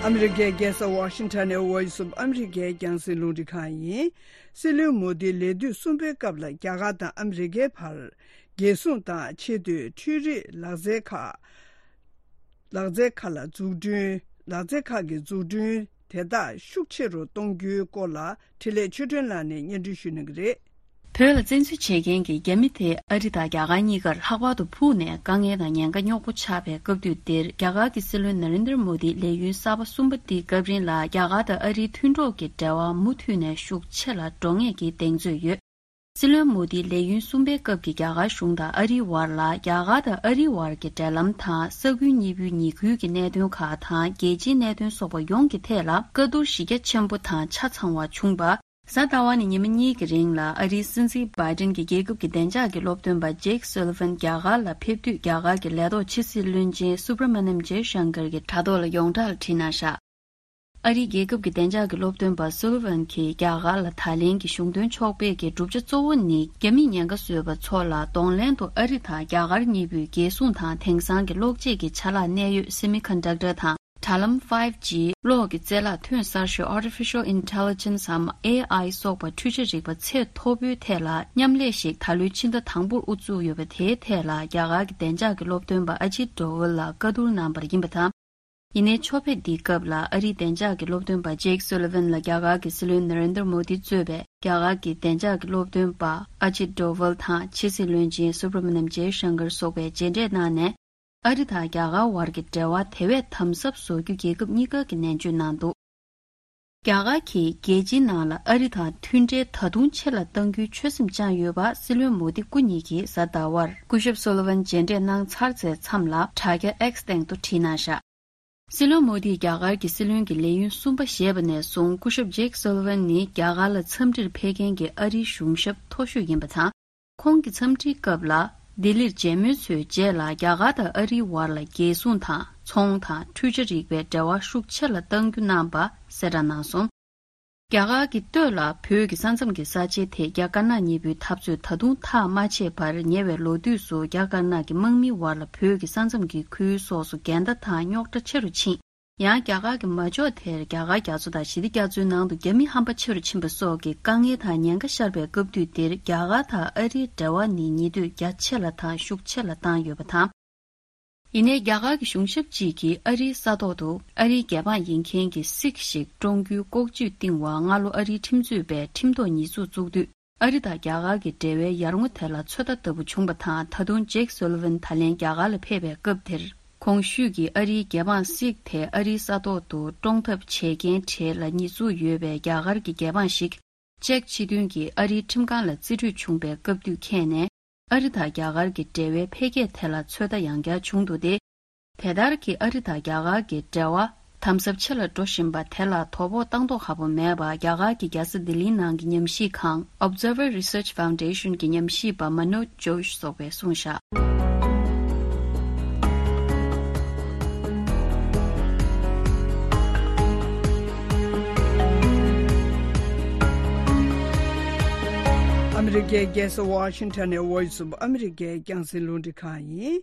ཨ་མི་རི་ཀའི་རྒྱལ་ས་ཝ་ཤིང་ཊོན་ནས་Voice of America རྒྱང་སྲིང་རླུང་འཕྲིན་ཁང་ཡིན། སྲིད་བློན་མོ་དིའི་ལས་དུས་གསུམ་པའི་སྐབས་ལ་རྒྱ་གར་དང་ཨ་མི་རི་ཀའི་བར་རྒྱལ་སྲུང་དང་ཆེས་མཐོའི་འཕྲུལ་རིག་ལག་རྩལ་ཁག་ལག་རྩལ་ཁག་ལ་འཛུགས་སྐྲུན། ལག་རྩལ་ཁག་གི་འཛུགས་སྐྲུན་དེ་དག་ཤུགས་ཆེ་རུ་གཏོང་རྒྱུའི་སྐོར་ལ་འཕྲིན་ལས་ཆོས་སྒྲོན་ལགས་ནས་སྙན་སྒྲོན་ཞུ་གནང་གི་རེད། བོད་ལ་བཙན་འཛུལ་བྱེད་མཁན་གྱི་རྒྱ་མི་དེ་ཨ་རི་དང་རྒྱ་གར་གཉིས་ཀར་ལྷག་པར་དུ་ཕུགས་ནས་དཀའ་ངལ་དང་ཉེན་ཁ་རྙོག་པོ་ཆགས་པའི་སྐབས་དུས་འདིར། རྒྱ་གར་གྱི་སྲིད་བློན་ན་རེན་དར་མོ་དིའི་ལས་ཡུན་གསར་པ་གསུམ་པ་འདིའི་སྐབས་རིང་ལ་རྒྱ་གར་དང་ཨ་རིའི་མཐུན་གྲོགས་ཀྱི་འབྲེལ་བ་མུ་མཐུད་ནས་ཤུགས་ཆེ་ལ་འགྲོ་ངེས་ཀྱི་གདེང་ཚོད་ཡོད། སྲིད་བློན་མོ་དིའི་ལས་ཡུན་གསུམ་པའི་སྐབས་ཀྱི་རྒྱ་གར་གཞུང་དང་ཨ་རིའི་བར་ལ། རྒྱ་གར་དང་ཨ་རིའི་བར་གྱི་འབྲེལ་ལམ་དང་། ས་ཁུལ་གཉིས་པོའི་ཉེ་ཁུལ་གྱི་གནད་དོན་ཁག་དང་། རྒྱལ་སྤྱིའི་གནད་དོན་སོགས་པ་ཡོངས་ཀྱི་ཐད་ལ་བཀའ་བསྡུར་གཞི་རྒྱ་ཆེན་པོ་དང་ཆ་ཚང་བ་བྱུང་བ། གཟའ་ཟླ་བ་ནས་ཉི་མ་གཉིས་ཀྱི་རིང་ལ་ཨ་རིའི་སྲིད་འཛིན་བྷའི་ཏིན་གྱི་རྒྱལ་ཁབ་ཀྱི་བདེ་འཇགས་ཀྱི་སློབ་སྟོན་པ་ཇེག་སོ་ལི་ཝན་རྒྱ་གར་ལ་ཕེབས་དུས། རྒྱ་གར་གྱི་ལས་ཐོག་ཕྱི་སྲིད་བློན་ཆེན་སུབ་ར་མ་ནམ་ཇེ་ཤང་ཀར་གྱི་དྲ་ཐོག་ལ་ཡོངས་གྲགས་ལ་བྲིས་གནང་བཞག་ཨ་རིའི་རྒྱལ་ཁབ་ཀྱི་བདེ་འཇགས་ཀྱི་སློབ་སྟོན་པ་སུ་ལི་ཝན་གྱིས། རྒྱ་གར་ལ་ད་ལན་གྱི་གཞུང་དོན་ཕྱོགས་ཕེབས་ཀྱི་གྲུབ་ཆ་གཙོ་བོ་ནི། རྒྱ་མིས་ཉེན་ཁ་བཟོས་པ་ཚོ་ལ་གདོང་ལེན་དུ་ཨ་རི་དང་རྒྱ་གར་གཉིས་པོས་རྒྱལ་སྲུང་དང་དེང་སང་གི་གློག་ཆས་ཀྱི་ཆ་ལག་གནད་ཡོད་སེ་མི་ཀོན་ཌག་ཊར་དང་། དྲ་ལམ་ཕའིབ་ཇི། གློག་གི་རྩལ་ལག་ཐོན་གསར་ཤོས་Artificial Intelligence འམ་ཨེ་ཨའི་སོགས་པ་འཕྲུལ་ཆས་རིག་པ་ཚད་མཐོ་པོའི་ཐད་ལ་མཉམ་ལས་ཤིག་ད་ལོའི་ཕྱི་ཟླ་དང་པོར་དབུ་བཙུགས་ཡོད་པ། དེའི་ཐད་ལ་རྒྱ་གར་གྱི་བདེ་འཇགས་ཀྱི་སློབ་སྟོན་པ་ཨ་ཇིད་ཌོ་ཝལ་ལ་བཀའ་བསྡུར་གནང་བ་ཡིན་པ་དང་། ཡིན་ནའི་ཕྱོགས་ཕེབས་འདིའི་སྐབས་ལ་ཨ་རིའི་བདེ་འཇགས་ཀྱི་སློབ་སྟོན་པ་ཇེག་སོ་ལི་ཝན་ལ་རྒྱ་གར་གྱི་སྲིད་བློན་ན་རེན་དར་མོ་དི་གཙོས་པའི་རྒྱ་གར་གྱི་བདེ་འཇགས་ཀྱི་སློབ་སྟོན་པ་ཨ་ཇིད་ཌོ་ཝལ་དང་ཕྱི་སྲིད་བློན་ཆེན་སུབ་ར་མ་ནམ་ཇེ་ཤང་ཀར་སོགས་པས་མཇལ་འཕྲད་གནང་ནས། ཨ་རི་དང་རྒྱ་གར་བར་གྱི་འབྲེལ་བ་དེ་བས་དམ་ཟབ་བཟོ་རྒྱུ་རྒྱལ་ཁབ་གཉིས་ཀ་གིས་ནན་བརྗོད་གནང་འདུག་རྒྱ་གར་གྱིས་རྒྱལ་སྤྱིའི་ནང་ལ་ཨ་རི་དང་མཐུན་འབྲེལ་ད་དུང་ཆེ་ལ་གཏང་རྒྱུའི་ཆོད་སེམས་བཅངས་ཡོད་པ། སྲིད་བློན་མོ་དི་སྐུ་ཉིད་ཀྱིས་གཟའ་ཟླ་བར་སྐུ་ཞབས་སོ་ལི་ཝན་མཇལ་འཕྲད་གནང་ཚར་ཚེ་མཚམས་ལ་དྲ་རྒྱ་ཨེགས་སྟེང་དུ་བྲིས་གནང་བཞག་སྲིད་བློན་མོ་དིས་རྒྱ་གར་གྱི་སྲིད་བློན་གྱི་ལས་ཡུན་གསུམ་པ་བཞེས་པ་ནས་བཟུང་སྐུ་ཞབས་ཇེག་སོ་ལི་ཝན་ནི་རྒྱ་གར་ལ་འཚམས་འདྲིར་ཕེབས་མཁན་གྱི་ཨ་རིའི་གཞུང་ཞབས་མཐོ་ཤོས་ཡིན་པ་དང་། ཁོང་གི་འཚམས་འདྲིའི་སྐབས་ལ་ལྡི་ལིར་མཇལ་མོལ་ཚོའི་རྗེས་ལ་རྒྱ་གར་དང་ཨ་རིའི་བར་ལ་རྒྱལ་སྲུང་དང་ཚོང་དང་འཕྲུལ་ཆས་རིག་པའི་འབྲེལ་བ་ཤུགས་ཆེ་ལ་གཏང་རྒྱུ་གནང་བ་གསལ་བསྒྲགས་གནང་སོང་། རྒྱ་གར་གྱི་སྟོད་ལ་བོད་ཀྱི་ས་མཚམས་ཀྱི་ས་ཆའི་ཐད་རྒྱ་དཀར་ནག་གཉིས་པོའི་འཐབ་རྩོད་ད་དུང་ཐག་མ་ཆད་པར། ཉེ་བའི་ལོ་དུས་སུ་རྒྱ་དཀར་ནག་གི་དམག་མིའི་བར་ལ་བོད་ཀྱི་ས་མཚམས་ཀྱི་ཁུལ་སོགས་སུ་འགལ་ཟླ་དང་རྙོག་དྲ་ཆེ་རུ་ཕྱིན། ཡང་རྒྱ་གར་གྱི་མ་འཇོག་དེར་རྒྱ་གར་རྒྱ་མཚོ་དང་ཞི་བདེ་རྒྱ་མཚོའི་ནང་དུ་རྒྱ་མི་ཧམ་པ་ཆེ་རུ་ཕྱིན་པ་སོགས་ཀྱི་དཀའ་ངལ་དང་ཉེན་ཁ་ཤར་བའི་སྐབས་དུས་འདིར། རྒྱ་གར་དང་ཨ་རིའི་འབྲེལ་བ་ནི་ཉེ་དུས་རྒྱ་ཆེ་ལ་དང་ཤུགས་ཆེ་ལ་བཏང་ཡོད་པ་དང་། ཡིན་ནའི་རྒྱ་གར་གྱི་གཞུང་ཞབས་གཅིག་གིས་ཨ་རིའི་ས་ཐོག་ཏུ་ཨ་རིའི་རྒྱལ་འབངས་ཡིན་མཁན་གྱི་སིག་ཞིག་བཀྲོངས་རྒྱུའི་ལྐོག་ཇུས་བཏིང་བར། སྔ་ལོ་ཨ་རིའི་ཁྲིམས་རྩོད་པས་ཁྲིམས་ཐོག་ཉེས་འཛུགས་བཙུགས་དུས། ཨ་རི་དང་རྒྱ་གར་གྱི་འབྲེལ་བའི་ཡར་ངོ་དེ་ལ་ཚོད་ལྟ་ལྟ་བུ་བྱུང་བ་དང་། ད་དུང་ཇེག་སོ་ལི་ཝན་ད་ལན་རྒྱ་གར་ལ་ཕེབས་པའི་སྐབས་དེར། གོང་ཞུས་ཀྱི་ཨ་རིའི་རྒྱལ་འབངས་སིག་དེ་ཨ་རིའི་ས་ཐོག་ཏུ་བཀྲོངས་ཐབས་བྱས་རྐྱེན་གྲས་ལ་ཉེས་འཛུགས་ཡོད་པའི་རྒྱ་གར་གྱི་རྒྱལ་འབངས་ཤིག་ཅེཀ་སྤྱི་མཐུན་གྱིས་ཨ་རིའི་ཁྲིམས་ཁང་ལ་རྩིས་སྤྲོད་བྱུང་བའི་སྐབས་དུས་ཁྱེད་ནས། ཨ་རི་དང་རྒྱ་གར་གྱི་འབྲེལ་བའི་འཕེལ་རྒྱས་དེ་ལ་ཚོད་ལྟ་ཡང་བསྐྱར་བྱུང་འདུག་སྟེ། དེ་ལྟར་གྱི་ཨ་རི་དང་རྒྱ་གར་གྱི་འབྲེལ་བ་དམ་ཟབ་ཆེ་ལ་འགྲོ་བཞིན་པ་དེ་ལ་དོ་ཕོག་བཏང་མདོག་ཁ་པོ་མེད་པ། རྒྱ་གར་གྱི་རྒྱལ་ས་ལྡི་ལིའི་ནང་གི་ཉམས་ཞིབ་ཁང་Observer Research Foundation གྱི་ཉམས་ཞིབ་པ་མ་ནོ་ཇོ་ཤི་སོགས་པས་གསུངས་བཞག་ཨ་མི་རི་ཀའི་རྒྱལ་ས་ཝ་ཤིང་ཊོན་ནས་Voice of America རྒྱང་སྲིང་རླུང་འཕྲིན་ཁང་ཡིན།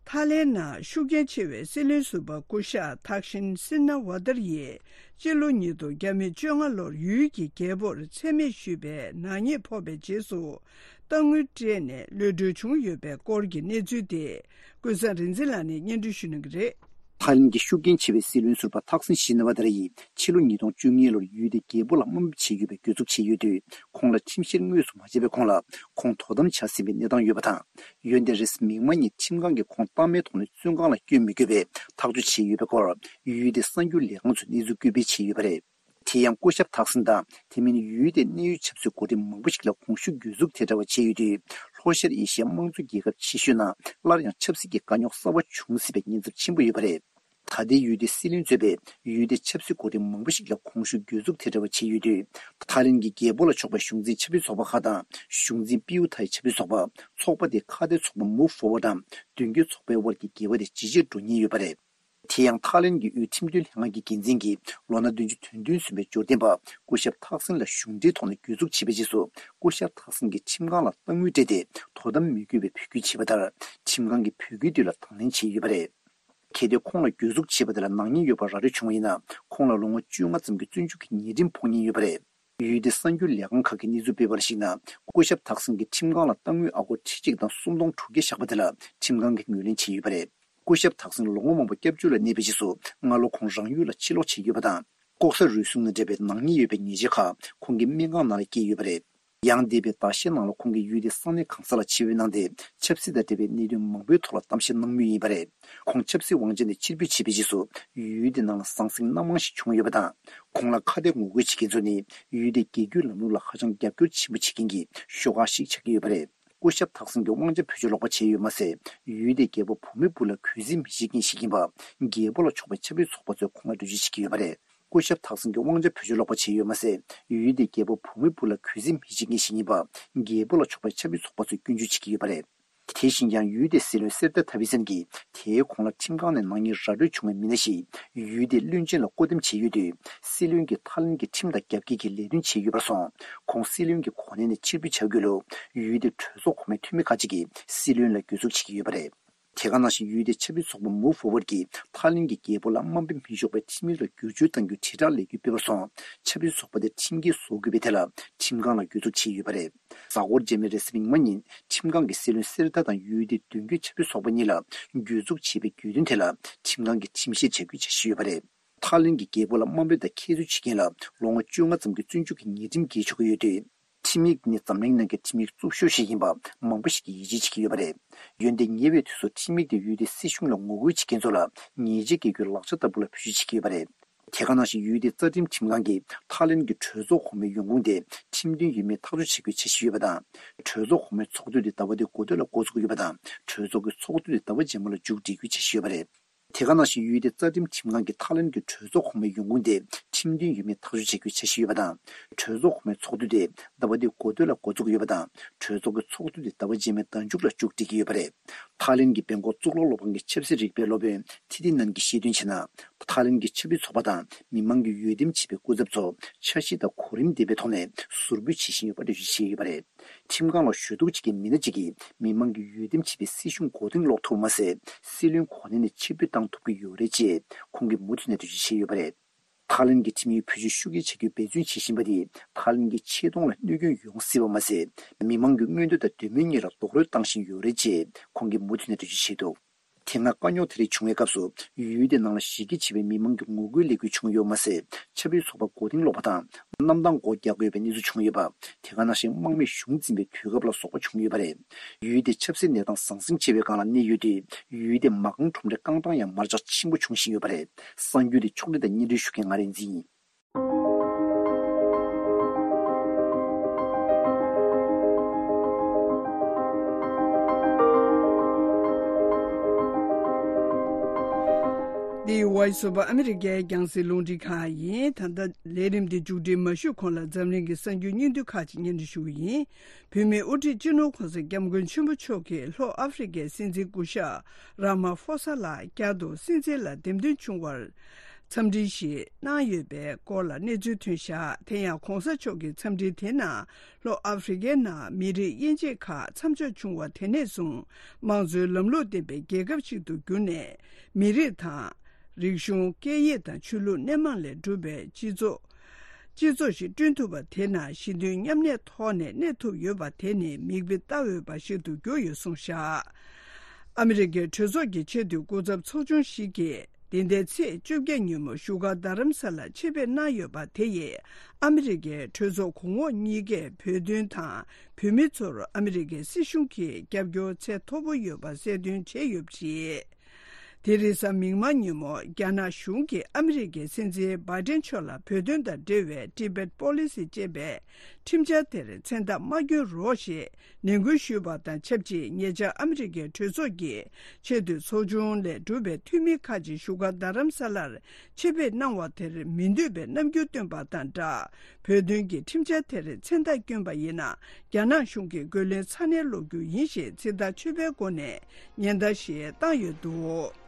ཐའི་ལེན་ནང་ཤུགས་རྐྱེན་ཆེ་བའི་སྲིད་བློན་ཟུར་པ་སྐུ་ཞབས་ཐག་ཤིན་སིན་ན་ཝ་ཏར་ཡིས་སྤྱི་ལོ་ཉིས་སྟོང་ཉི་ཤུ་རྩ་ལྔ་ལོར་ཡུལ་གྱི་རྒྱལ་པོར་མཚན་སྨད་ཞུས་པའི་ནག་ཉེས་ཕོག་པའི་རྗེས་སུ་གཏའ་དངུལ་སྤྲད་ནས་གློད་གྲོལ་བྱུང་ཡོད་པའི་སྐོར་གྱི་གནས་ཚུལ་དེ་ཀུན་བཟང་རིག་འཛིན་ལགས་ནས་སྙན་སྒྲོན་ཞུ་གནང་གི་རེད། ཐའི་ལེན་གྱི་ཤུགས་རྐྱེན་ཆེ་བའི་སྲིད་བློན་ཟུར་པ་ཐག་སིན་ཤི་ན་ཝ་ཏར་ཡིས་ཕྱི་ལོ་ཉིས་སྟོང་བཅུ་གཉིས་ལོར་ཡུལ་དེའི་རྒྱལ་པོ་ལ་དམའ་འབེབས་བྱས་ཡོད་པའི་གྱོད་འཛུགས་བྱས་ཡོད་དུས། ཁོང་ལ་ཁྲིམས་བཤེར་དངོས་སུ་མ་བྱས་པའི་གོང་ལ་ཁོང་དོ་དམ་བྱ་ཟིན་པའི་གནས་སྟངས་ཡོད་པ་དང་། འོན་ཏེ་རེས་གཟའ་མིག་དམར་ཉིན་ཁྲིམས་ཁང་གིས་ཁོང་གཏའ་མའི་ཐོག་ནས་བཙོན་ཁང་ལ་བསྐྱོད་མི་དགོས་པའི་ཐག་གཅོད་བྱས་ཡོད་པའི་སྐོར་ཡུལ་དེའི་གསར་འགྱུར་ལས་ཁང་ཚོས་གནས་ཚུལ་སྐུལ་སྤེལ་བྱས་ཡོད་པ་རེད། དེ་ཡང་སྐུ་ཞབས་ཐག་སིན་དང་དེ་མིན་ཡུལ་དེའི་གནད་ཡོད་ཆབ་སྲིད་འགོ་ཁྲིད་མང་པོ་ཞིག་ལ་གོང་ཞུས་གྱོད་འཛུགས་དེ་འདྲ་བ་བྱས་ཡོད་དུས། ལྷོ་ཤར་ཨེ་ཤི་ཡའི་དམངས་གཙོ་རྒྱལ་ཁབ་ཆེ་ཤོས་ནང་སླར་ཡང་ཆབ་སྲིད་ཀྱི་དཀའ་རྙོག་གསར་བ་འབྱུང་སྲིད་པའི་ཉེན་ཚབས་ཆེན་པོ་ཡོད་པ་རེད། ད་ལྟའི་ཡུལ་དེའི་སྲིད་བློན་གཙོས་པའི་ཡུལ་དེའི་ཆབ་སྲིད་འགོ་ཁྲིད་མང་པོ་ཞིག་ལ་གོང་ཞུས་གྱོད་འཛུགས་དེ་འདྲ་བ་བྱས་ཡོད་དུས། ཐའི་ལེན་གྱི་རྒྱལ་པོ་ལ་ཕྱོགས་པའི་གཞུང་འཛིན་ཆབ་སྲིད་ཚོགས་པ་ཁག་དང་གཞུང་འཛིན་པིའུ་ཐའི་ཆབ་སྲིད་ཚོགས་པ། ཚོགས་པ་དེའི་ཁ་གཏད་ཚོགས་པ་Move Forward དང་མདུན་སྐྱོད་ཚོགས་པའི་དབར་གྱི་འགལ་བ་དེ་ཇེ་ཆེར་འགྲོ་ཉེན་ཡོད་པ་རེད། དེ་ཡང་ཐའི་ལེན་གྱི་དབུས་ཁྲིམས་དོན་ལྷན་ཁང་གི་འགན་འཛིན་གྱིས་ལོ་ན་བདུན་ཅུ་དོན་བདུན་སོན་པའི་འབྱོར་ལྡན་པ་སྐུ་ཞབས་ཐག་སིན་ལ་གཞུང་འབྲེལ་ཐོག་ནས་གྱོད་འཛུགས་བྱས་པའི་རྗེས་སུ། སྐུ་ཞབས་ཐག་སིན་གྱིས་ཁྲིམས་ཁང་ལ་གཏའ་དངུལ་སྤྲད་དེ་དོ་དམ་མི་དགོས་པའི་འབོད་སྐུལ་བྱས་པ་ལྟར། ཁྲིམས་ཁང་གིས་འབོད་སྐུལ་དེ་ལ་དང་ལེན་བྱས་ཡོད་པ་རེད། གལ་ཏེ་ཁོང་ལ་གྱོད་འཛུགས་བྱས་པ་དེ་ལ་ནག་ཉེས་ཡོད་པ་ར་སྤྲོད་བྱུང་བ་ཡིན་ན། ཁོང་ལ་ལོ་ངོ་བཅོ་ལྔ་ཙམ་གྱི་བཙོན་འཇུག་གི་ཉེས་ཁྲིམས་ཕོག་ཉེན་ཡོད་པ་རེད། ཡུལ་དེའི་གསར་འགྱུར་ལས་ཁང་ཁག་གིས་གནས་ཚུལ་སྤེལ་བར་གཞིགས་ན། སྐུ་ཞབས་ཐག་སིན་གྱིས་ཁྲིམས་ཁང་ལ་གཏའ་དངུལ་ཨ་སྒོར་ཁྲི་གཅིག་དང་སུམ་སྟོང་དྲུག་བརྒྱ་བཞག་པ་དེ་ལ་ཁྲིམས་ཁང་གིས་ངོས་ལེན་བྱས་ཡོད་པ་རེད། སྐུ་ཞབས་ཐག་སིན་ལོ་ངོ་མང་པོ་སྐྱབས་བཅོལ་ལ་གནས་པའི་རྗེས་སུ། སྔ་ལོ་ཁོང་རང་ཡུལ་ལ་ཕྱིར་ལོག་བྱས་ཡོད་པ་དང་། ལྐོག་ཟ་རུལ་སུངས་དང་འབྲེལ་བའི་ནག་ཉེས་ཡོད་པའི་ཉེས་ཆད་ཁག་ཁོང་གི་སྨན་ཁང་ནང་ལ་བཀལ་ཡོད་པ་རེད། ཡང་འདས་པའི་ཟླ་ཤས་ནང་ལ་ཁོང་གིས་ཡུལ་དེའི་ས་གནས་གང་ས་ལ་ཆིབས་བསྒྱུར་གནང་སྟེ། ཆབ་སྲིད་དང་འབྲེལ་བའི་གནད་དོན་མང་པོའི་ཐོག་ལ་གཏམ་བཤད་གནང་མུས་ཡིན་པ་རེད། ཁོང་ཆབ་སྲིད་དབང་ཆ་ནས་ཕྱིར་འབུད་བྱས་པའི་རྗེས་སུ། ཡུལ་དེ་ནང་ལ་ཟང་ཟིང་སྣ་མང་ཞིག་བྱུང་ཡོད་པ་དང་། ཁོང་ལ་ཁ་གཏད་ངོ་རྒོལ་བྱེད་མཁན་ཚོ་ནི། ཡུལ་དེའི་རྒྱལ་རྒྱུད་ལམ་ལུགས་ལ་ཧ་ཅང་རྒྱབ་སྐྱོར་ཆེན་པོ་བྱེད་མཁན་གྱི་ཤོག་ཁག་ཞིག་ཆགས་ཀྱི་ཡོད་པ་རེད། སྐུ་ཞབས་ཐག་སིན་གྱི་དབང་ཆ་བེད་སྤྱོད་ལོག་པ་བྱས་ཡོད་མ་ཟད། ཡུལ་དེའི་རྒྱལ་པོ་བུད་མེད་སྦུག་ལ་གུས་བརྩི་མི་བྱེད་མཁན་ཞིག་ཡིན་པ། རྒྱལ་པོ་ལ་ཕྱོགས་པའི་ཆབ་སྲིད་ཚོགས་པ་ཚོས་ཁོང་ལ་འགྲེལ་བརྗོད་བྱེད་ཀྱི་ཡོད་པ་རེད། སྐུ་ཞབས་ཐག་སིན་གྱི་དབང་ཆ་བེད་སྤྱོད་ལོག་པ་བྱས་ཡོད་མ་ཟད། ཡུལ་དེའི་རྒྱལ་པོ་བུད་མེད་སྦུག་ལ་གུས་བརྩི་མི་བྱེད་མཁན་ཞིག་ཡིན་པ། རྒྱལ་པོ་ལ་ཕྱོགས་པའི་ཆབ་སྲིད་ཚོགས་པ་ཚོས་སྐྱོན་བརྗོད་བྱེད་ཀྱི་ཡོད་པ་རེད། དེ་བཞིན་ཀྱང་ཡུལ་དེའི་སྲིད་བློན་སེར་ཏ་ཐ་བི་སན་གྱིས། དེའི་གོང་ལ་ཁྲིམས་ཁང་ནས་ནག་ཉེས་ར་སྤྲོད་བྱུང་བའི་མི་སྣ་ཞིག་ཡུལ་དེའི་བློན་ཆེན་ལ་བསྐོ་འདེམས་བྱས་ཡོད་དུས། སྲིད་བློན་གྱིས་ཐའི་ལེན་གྱི་ཁྲིམས་དང་རྒྱབ་འགལ་གྱི་ལས་དོན་བྱས་ཡོད་པར་སོང་། ཁོང་སྲིད་བློན་གྱི་གོ་གནས་ནས་ཕྱིར་འབུད་བྱ་དགོས་ལུགས། ཡུལ་དེའི་གྲོས་ཚོགས་གོང་མའི་འཐུས་མི་ཁག་ཅིག་གིས་སྲིད་བློན་ལ་གྱོད་འཛུགས་བྱེད་ཀྱི་ཡོད་པ་རེད། དེ་ག་ནང་བཞིན་ཡུལ་དེའི་ཆབ་སྲིད་ཚོགས་པ་Move Forward་གྱིས་ཐའི་ལེན་གྱི་རྒྱལ་པོ་ལ་དམའ་འབེབས་མི་ཆོག་པའི་ཁྲིམས་ཡིག་ལ་བསྒྱུར་བཅོས་གཏང་རྒྱུའི་དྲིལ་བསྒྲགས་ལས་འགུལ་སྤེལ་བར་སོང་། ཆབ་སྲིད་ཚོགས་པ་དེ་ཁྲིམས་འགལ་བཟོ་དགོས་པའི་ཐད་ལ་ཁྲིམས་ཁང་ལ་གྱོད་འཛུགས་བྱས་ཡོད་པ་རེད། གཟའ་འཁོར་རྗེས་མའི་རེས་གཟའ་མིག་དམར་ཉིན་ཁྲིམས་ཁང་གིས་སྲིད་བློན་སེར་ཏ་དང་ཡུལ་དེའི་མདུན་སྐྱོད་ཆབ་སྲིད་ཚོགས་པ་གཉིས་ལ་གྱོད་འཛུགས་བྱས་པའི་གྱོད་དོན་ཐད་ལ་ཁྲིམས་ཁང་གིས་ཁྲིམས་བཤེར་བྱ་རྒྱུའི་འཆར་གཞི་ཡོད་པ་རེད། ཐའི་ལེན་གྱི་རྒྱལ་པོ་ལ་དམའ་འབེབས་དང་ཁྱད་གསོད་བྱེད་མཁན་ལ་ལོ་ངོ་བཅོ་ལྔ་ཙམ་གྱི་བཙོན་འཇུག་གི་ཉེས་ཁྲིམས་འགེལ་ཆོག་གི་ཡོད་དུས། ཁྲིམས་ཡིག་ནི་འཛམ་གླིང་ནང་གི་ཁྲིམས་ཡིག་རྩུབ་ཤོས་ཤིག་ཡིན་པ་མང་པོ་ཞིག་གིས་ཡིད་ཆེས་བྱེད་ཀྱི་ཡོད་པ་རེད། འོན་ཏེ་ཉེ་བའི་དུས་སུ་ཁྲིམས་ཡིག་དེ་ཡུལ་དེའི་སྲིད་གཞུང་ལ་ངོ་རྒོལ་བྱེད་མཁན་ཚོ་ལ་ཉེས་ཆད་འགེལ་རྒྱུའི་ལག་ཆ་ལྟ་བུ་ལ་བེད་སྤྱོད་བྱེད་ཀྱི་ཡོད་པ་རེད། དེ་ག་ནང་བཞིན་ཡུལ་དེའི་རྩ་ཁྲིམས་ཁྲིམས་ཁང་གིས་ཐའི་ལེན་གྱི་གྲོས་ཚོགས་གོང་མའི་ཡོང་ཁུངས་དེ་ཁྲིམས་མཐུན་ཡིན་མིན་ཐག་གཅོད་བྱེད་རྒྱུའི་འཆར་གཞི་ཡོད་པ་དང་། གྲོས་ཚོགས་གོང་མའི་ཚོགས་དུས་དེ་ཟླ་བ་འདིའི་འགོ་སྟོད་ལ་འགོ་འཛུགས་ཡོད་པ་དང་། གྲོས་ཚོགས་ཀྱི་ཚོགས་དུས་དེ་ཟླ་བ་རྗེས་མ་ལ་མཇུག་སྒྲིལ་རྒྱུའི་འཆར་གཞི་ཡོད་པ་རེད། དེ་ག་ནང་བཞིན་ཡུལ་དེའི་རྩ་ཁྲིམས་ཁྲིམས་ཁང་གིས་ཐའི་ལེན་གྱི་གྲོས་ཚོགས་གོང་མའི་ཡོང་ཁུངས་དེ་ཁྲིམས་མཐུན་ཡིན་མིན་ཐག་གཅོད་བྱེད་རྒྱུའི་འཆར་གཞི་ཡོད་པ་དང་། གྲོས་ཚོགས་གོང་མའི་ཚོགས་དུས་དེ་ཟླ་བ་འདིའི་འགོ་སྟོད་ལ་འགོ་འཛུགས་ཡོད་པ་དང་། གྲོས་ཚོགས་ཀྱི་ཚོགས་དུས་དེ་ཟླ་བ་རྗེས་མའི་ཟླ་མཇུག་ལ་མཇུག་སྒྲིལ་གྱི་ཡོད་པ་རེད། ཐའི་ལེན་གྱི་སྦེང་ཀོག་གཙུག་ལག་སློབ་ཁང་གི་ཆབ་སྲིད་རིག་པའི་སློབ་དཔོན་ཐི་ཐི་ནན་གྱིས་བཤད་དོན་བྱས་ན། ཐའི་ལེན་གྱི་ཆབ་སྲིད་ཚོགས་པ་དང་མི་མང་གིས་འོས་འདེམས་བྱས་པའི་སྐུ་ཚབ་ཚོ་འཆར་གཞི་དང་གོ་རིམ་ལྡན་པའི་ཐོག་ནས་ཟུར་འབུད་བྱེད་བཞིན་ཡོད་པ་འགྲེལ་བརྗོད་བྱས་ཡོད་པ་རེད། ཁྲིམས་ཁང་ལ་ཞུ་གཏུག་བྱེད་མཁན་མི་སྣ་གཅིག་གིས་མི་མང་གིས་འོས་འདེམས་བྱས་པའི་སྲིད་གཞུང་མགོ་རྟིང་སློག་ཐུབ་པ་མ་ཟད། སྲིད་བློན་གོ་གནས་ནས་ཕྱིར་འབུད་བཏང་ཐུབ་ཀྱི་ཡོད་རེད་ཅེས་ཁོང་གིས་མུ་མཐུད་ནས་འགྲེལ་བརྗོད་བྱས་ཡོད་པ་རེད། ཐའི་ལེན་གྱི་ཁྲིམས་ཡིག་བེད་སྤྱོད་ཤུགས་ཆེ་བྱ་རྒྱུའི་འབད་བརྩོན་བྱེད་བཞིན་པ་དེས་ཐའི་ལེན་གྱི་ཆེ་མཐོང་ལ་གནོད་སྐྱོན་ཡོང་སྲིད་པ་མ་ཟད། མི་མང་གི་མངོན་འདོད་དང་འདོད་མོས་གཉིས་ལ་རྡོག་རོལ་བཏང་བཞིན་ཡོད་རེད་ཅེས་ཁོང་གིས་མུ་མཐུད་ནས་འགྲེལ་བརྗོད་བྱས་འདུག། དེ་སྔ་དཀའ་རྙོག་དེ་རིགས་བྱུང་བའི་སྐབས་སུ། ཡུལ་དེ་ནང་ལ་གཞི་རྒྱ་ཆེ་བའི་མི་མང་གི་ངོ་རྒོལ་ལས་འགུལ་བྱུང་ཡོད་མ་ཟད། ཆབ་སྲིད་ཚོགས་པ་མགོ་རྟིང་སློག་པ་དང་། གནམ་ཐང་སྒོ་རྒྱག་དགོས་པའི་གནས་ཚུལ་བྱུང་ཡོད་པ། དེ་ག་ནང་བཞིན་དམག་མིས་གཞུང་འཛིན་པའི་དུས་སྐབས་ལ་སོགས་པ་བྱུང་ཡོད་པ་རེད། ཡུལ་དེའི་ཆབ་སྲིད་གནས་སྟངས་ཟང་ཟིང་ཆེ་བའི་སྒང་ལ་གནས་ཡོད་དུས། ཡུལ་དེའི་མ་རྐང་ཁྲོམ་རའི་རྐང་གྲངས་ཡང་མར་ཆག་ཆེན་པོ་འབྱུང་བཞིན་ཡོད་པ་རེད། གསར་འགྱུར་དེ་ཕྱོགས་སྒྲིག་དང་སྙན་སྒྲོན་ཞུ་མཁན་ང་རིག་འཛིན་ཡིན། འདི་Voice of America་རྒྱང་སྲིང་རླུང་འཕྲིན་ཁང་ཡིན། ད་ལྟ་ལས་རིམ་འདི་མཇུག་སྒྲིལ་མ་ཞུས་གོང་ལ་འཛམ་གླིང་གི་གསར་འགྱུར་སྙིང་བསྡུས་ཁག་ཅིག་སྙན་སྒྲོན་ཞུ་གི་ཡིན། བོད་མིའི་དབུ་ཁྲིད་སྤྱི་ནོར་༸གོང་ས་༸སྐྱབས་མགོན་ཆེན་པོ་མཆོག་གིས་ལྷོ་ཨ་ཧྥེ་རི་ཁའི་སྲིད་འཛིན་སྐུ་ཞབས་ར་མ་ཧྥོ་ས་ལགས་བསྐྱར་དུ་སྲིད་འཛིན་ལ་འདེམས་ཐོན་བྱུང་བར་འཚམས་འདྲི་ཞིག་གནང་ཡོད་པའི་སྐོར་ལ་གནས་ཚུལ་ཐོན་བཞག། དེ་ཡང་༸གོང་ས་མཆོག་གི་འཚམས་འདྲི་དེ་ནང་ལྷོ་ཨ་ཧྥེ་རི་ཁའི་ནང་མི་རིགས་དབྱེ་འབྱེད་ཁག་མཚམས་འཇོག་བྱུང་བ་དེ་ནས་བཟུང་དམངས་གཙོའི་ལམ་ལུགས་ལྡན་པའི་རྒྱལ་ཁབ་ཅིག་ཏུ་གྱུར་ནས། མི་རིགས་དང་། རིག་གཞུང་། སྐད་ཡིག་དང་ཆོས་ལུགས་སྣེ་མང་ལས་གྲུབ་པའི་སྤྱི་ཚོགས། སྤྱི་ཚོགས་ཤིག་བསྐྲུན་ཐུབ་པ་དེ་ནང་ཞི་མཐུན་མཉམ་གནས་ཐོག་ནས་གནས་ཐུབ་ཡོད་པ་དེ་ནི་མིག་དཔེ་ལྟ་འོས་པ་ཞིག་ཏུ་གྱུར་ཡོད་གསུངས་བཞག། ཨ་མི་རི་ཀའི་གྲོས་ཚོགས་ཀྱི་ཆེས་མཐོའི་སྐུ་ཚབ་ཚོགས་ཆུང་ཞིག་གིས་འདི་ཟླའི་ཚེས་བཅོ་བརྒྱད་ཉིན་མོ་བཞུགས་སྒར་རྡ་རམ་ས་ལར་ཆེད་ཕེབས་གནང་ཡོད་པ་དེ་ཡིས་ཨ་མི་རི་ཀའི་གྲོས་ཚོགས་གོང་འོག་གཉིས་ཀས་བོད་དོན་དང་བོད་མི་ཚོར་ཨ་མི་རི་ཀའི་སྲིད་གཞུང་གིས་རྒྱབ་སྐྱོར་ཚད་མཐོ་པོ་ཡོད་པ་གསལ་སྟོན་བྱས་ཡོད་པ་རེད། དེ་རེས་གཟའ་མིག་དམར་ཉིན་མོ་རྒྱ་ནག་གཞུང་གིས་ཨ་མི་རི་ཀའི་སྲིད་འཛིན་བྷའི་ཏན་མཆོག་ལ་བོད་དོན་དང་འབྲེལ་བའི་Tibet Policy་ཅེས་པའི་ཁྲིམས་འཆར་དེར་མཚན་རྟགས་མ་བསྐྱོན་རོགས་ཞེས་ནན་སྐུལ་ཞུས་པ་དང་ཆབས་ཅིག་ཉེ་ཆར་ཨ་མི་རི་ཀའི་གྲོས་ཚོགས་ཀྱི་ཆེས་མཐོའི་ཚོགས་ཆུང་ལས་གྲུབ་པའི་འཐུས་མི་ཁག་ཅིག་བཞུགས་སྒར་རྡ་རམ་ས་ལར་ཆེད་ཕེབས་གནང་བ་དེར་མི་འདོད་པའི་རྣམ་འགྱུར་བཏོན་པ་དང་སྦྲགས། བོད་དོན་གྱི་ཁྲིམས་འཆར་དེར་མཚན་རྟགས་བསྐྱོན་པ་ཡིན་ན། རྒྱ་ནག་གཞུང་གིས་རྒོལ་ལན་ཚ་ནན་སློག་རྒྱུ་ཡིན་ཞེས་ཚིག་ཐག་ཆོད་པའི་སྒོ་ནས་ཉེན་བརྡ་ཞིག་བཏང་ཡོད་འདུག།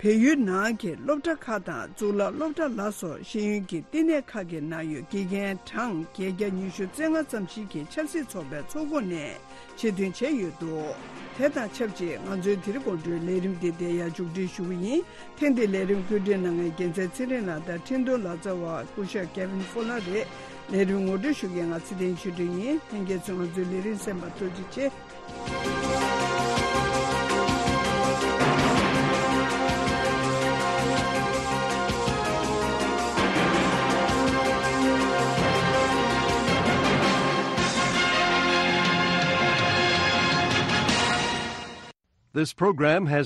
བལ་ཡུལ་ནང་གི་སློབ་གྲྭ་ཁག་དང་གཙུག་ལག་སློབ་གྲྭ་ལ་སོགས་ཤེས་ཡོན་གྱི་བསྟི་གནས་ཁག་གི་ནང་ཡོད་དགེ་རྒན་གྲངས་བརྒྱད་བརྒྱ་ཉི་ཤུ་རྩ་ལྔ་ཙམ་ཞིག་གིས་ཆབ་སྲིད་ཚོགས་པའི་ཚོགས་ཁོངས་ནས་ཆེད་འདོན་བྱས་ཡོད་འདུག། དེ་དང་ཆབས་ཅིག་ང་ཚོའི་དེ་རིང་དགོང་དྲོའི་ལས་རིམ་འདི་འདིར་ཡར་མཇུག་སྒྲིལ་ཞུ་གི་ཡིན། ཐེངས་འདིའི་ལས་རིམ་བཀོད་སྒྲིག་གནང་མཁན་རྒྱལ་མཚན་ཚེ་རིང་ལགས་དང་འཕྲིན་གཏོང་ལག་རྩལ་བ་སྐུ་ཞབས་Kevin Fowler་རེད། ལས་རིམ་ངོ་སྤྲོད་ཞུ་མཁན་ང་ཚེ་བརྟན་ཆོས་སྒྲོན་ཡིན། ལྷན་རྒྱས་ཚོས་ང་ཚོའི་ལས་རིམ་གསན་པར་ཐུགས་རྗེ་ཆེ། This program has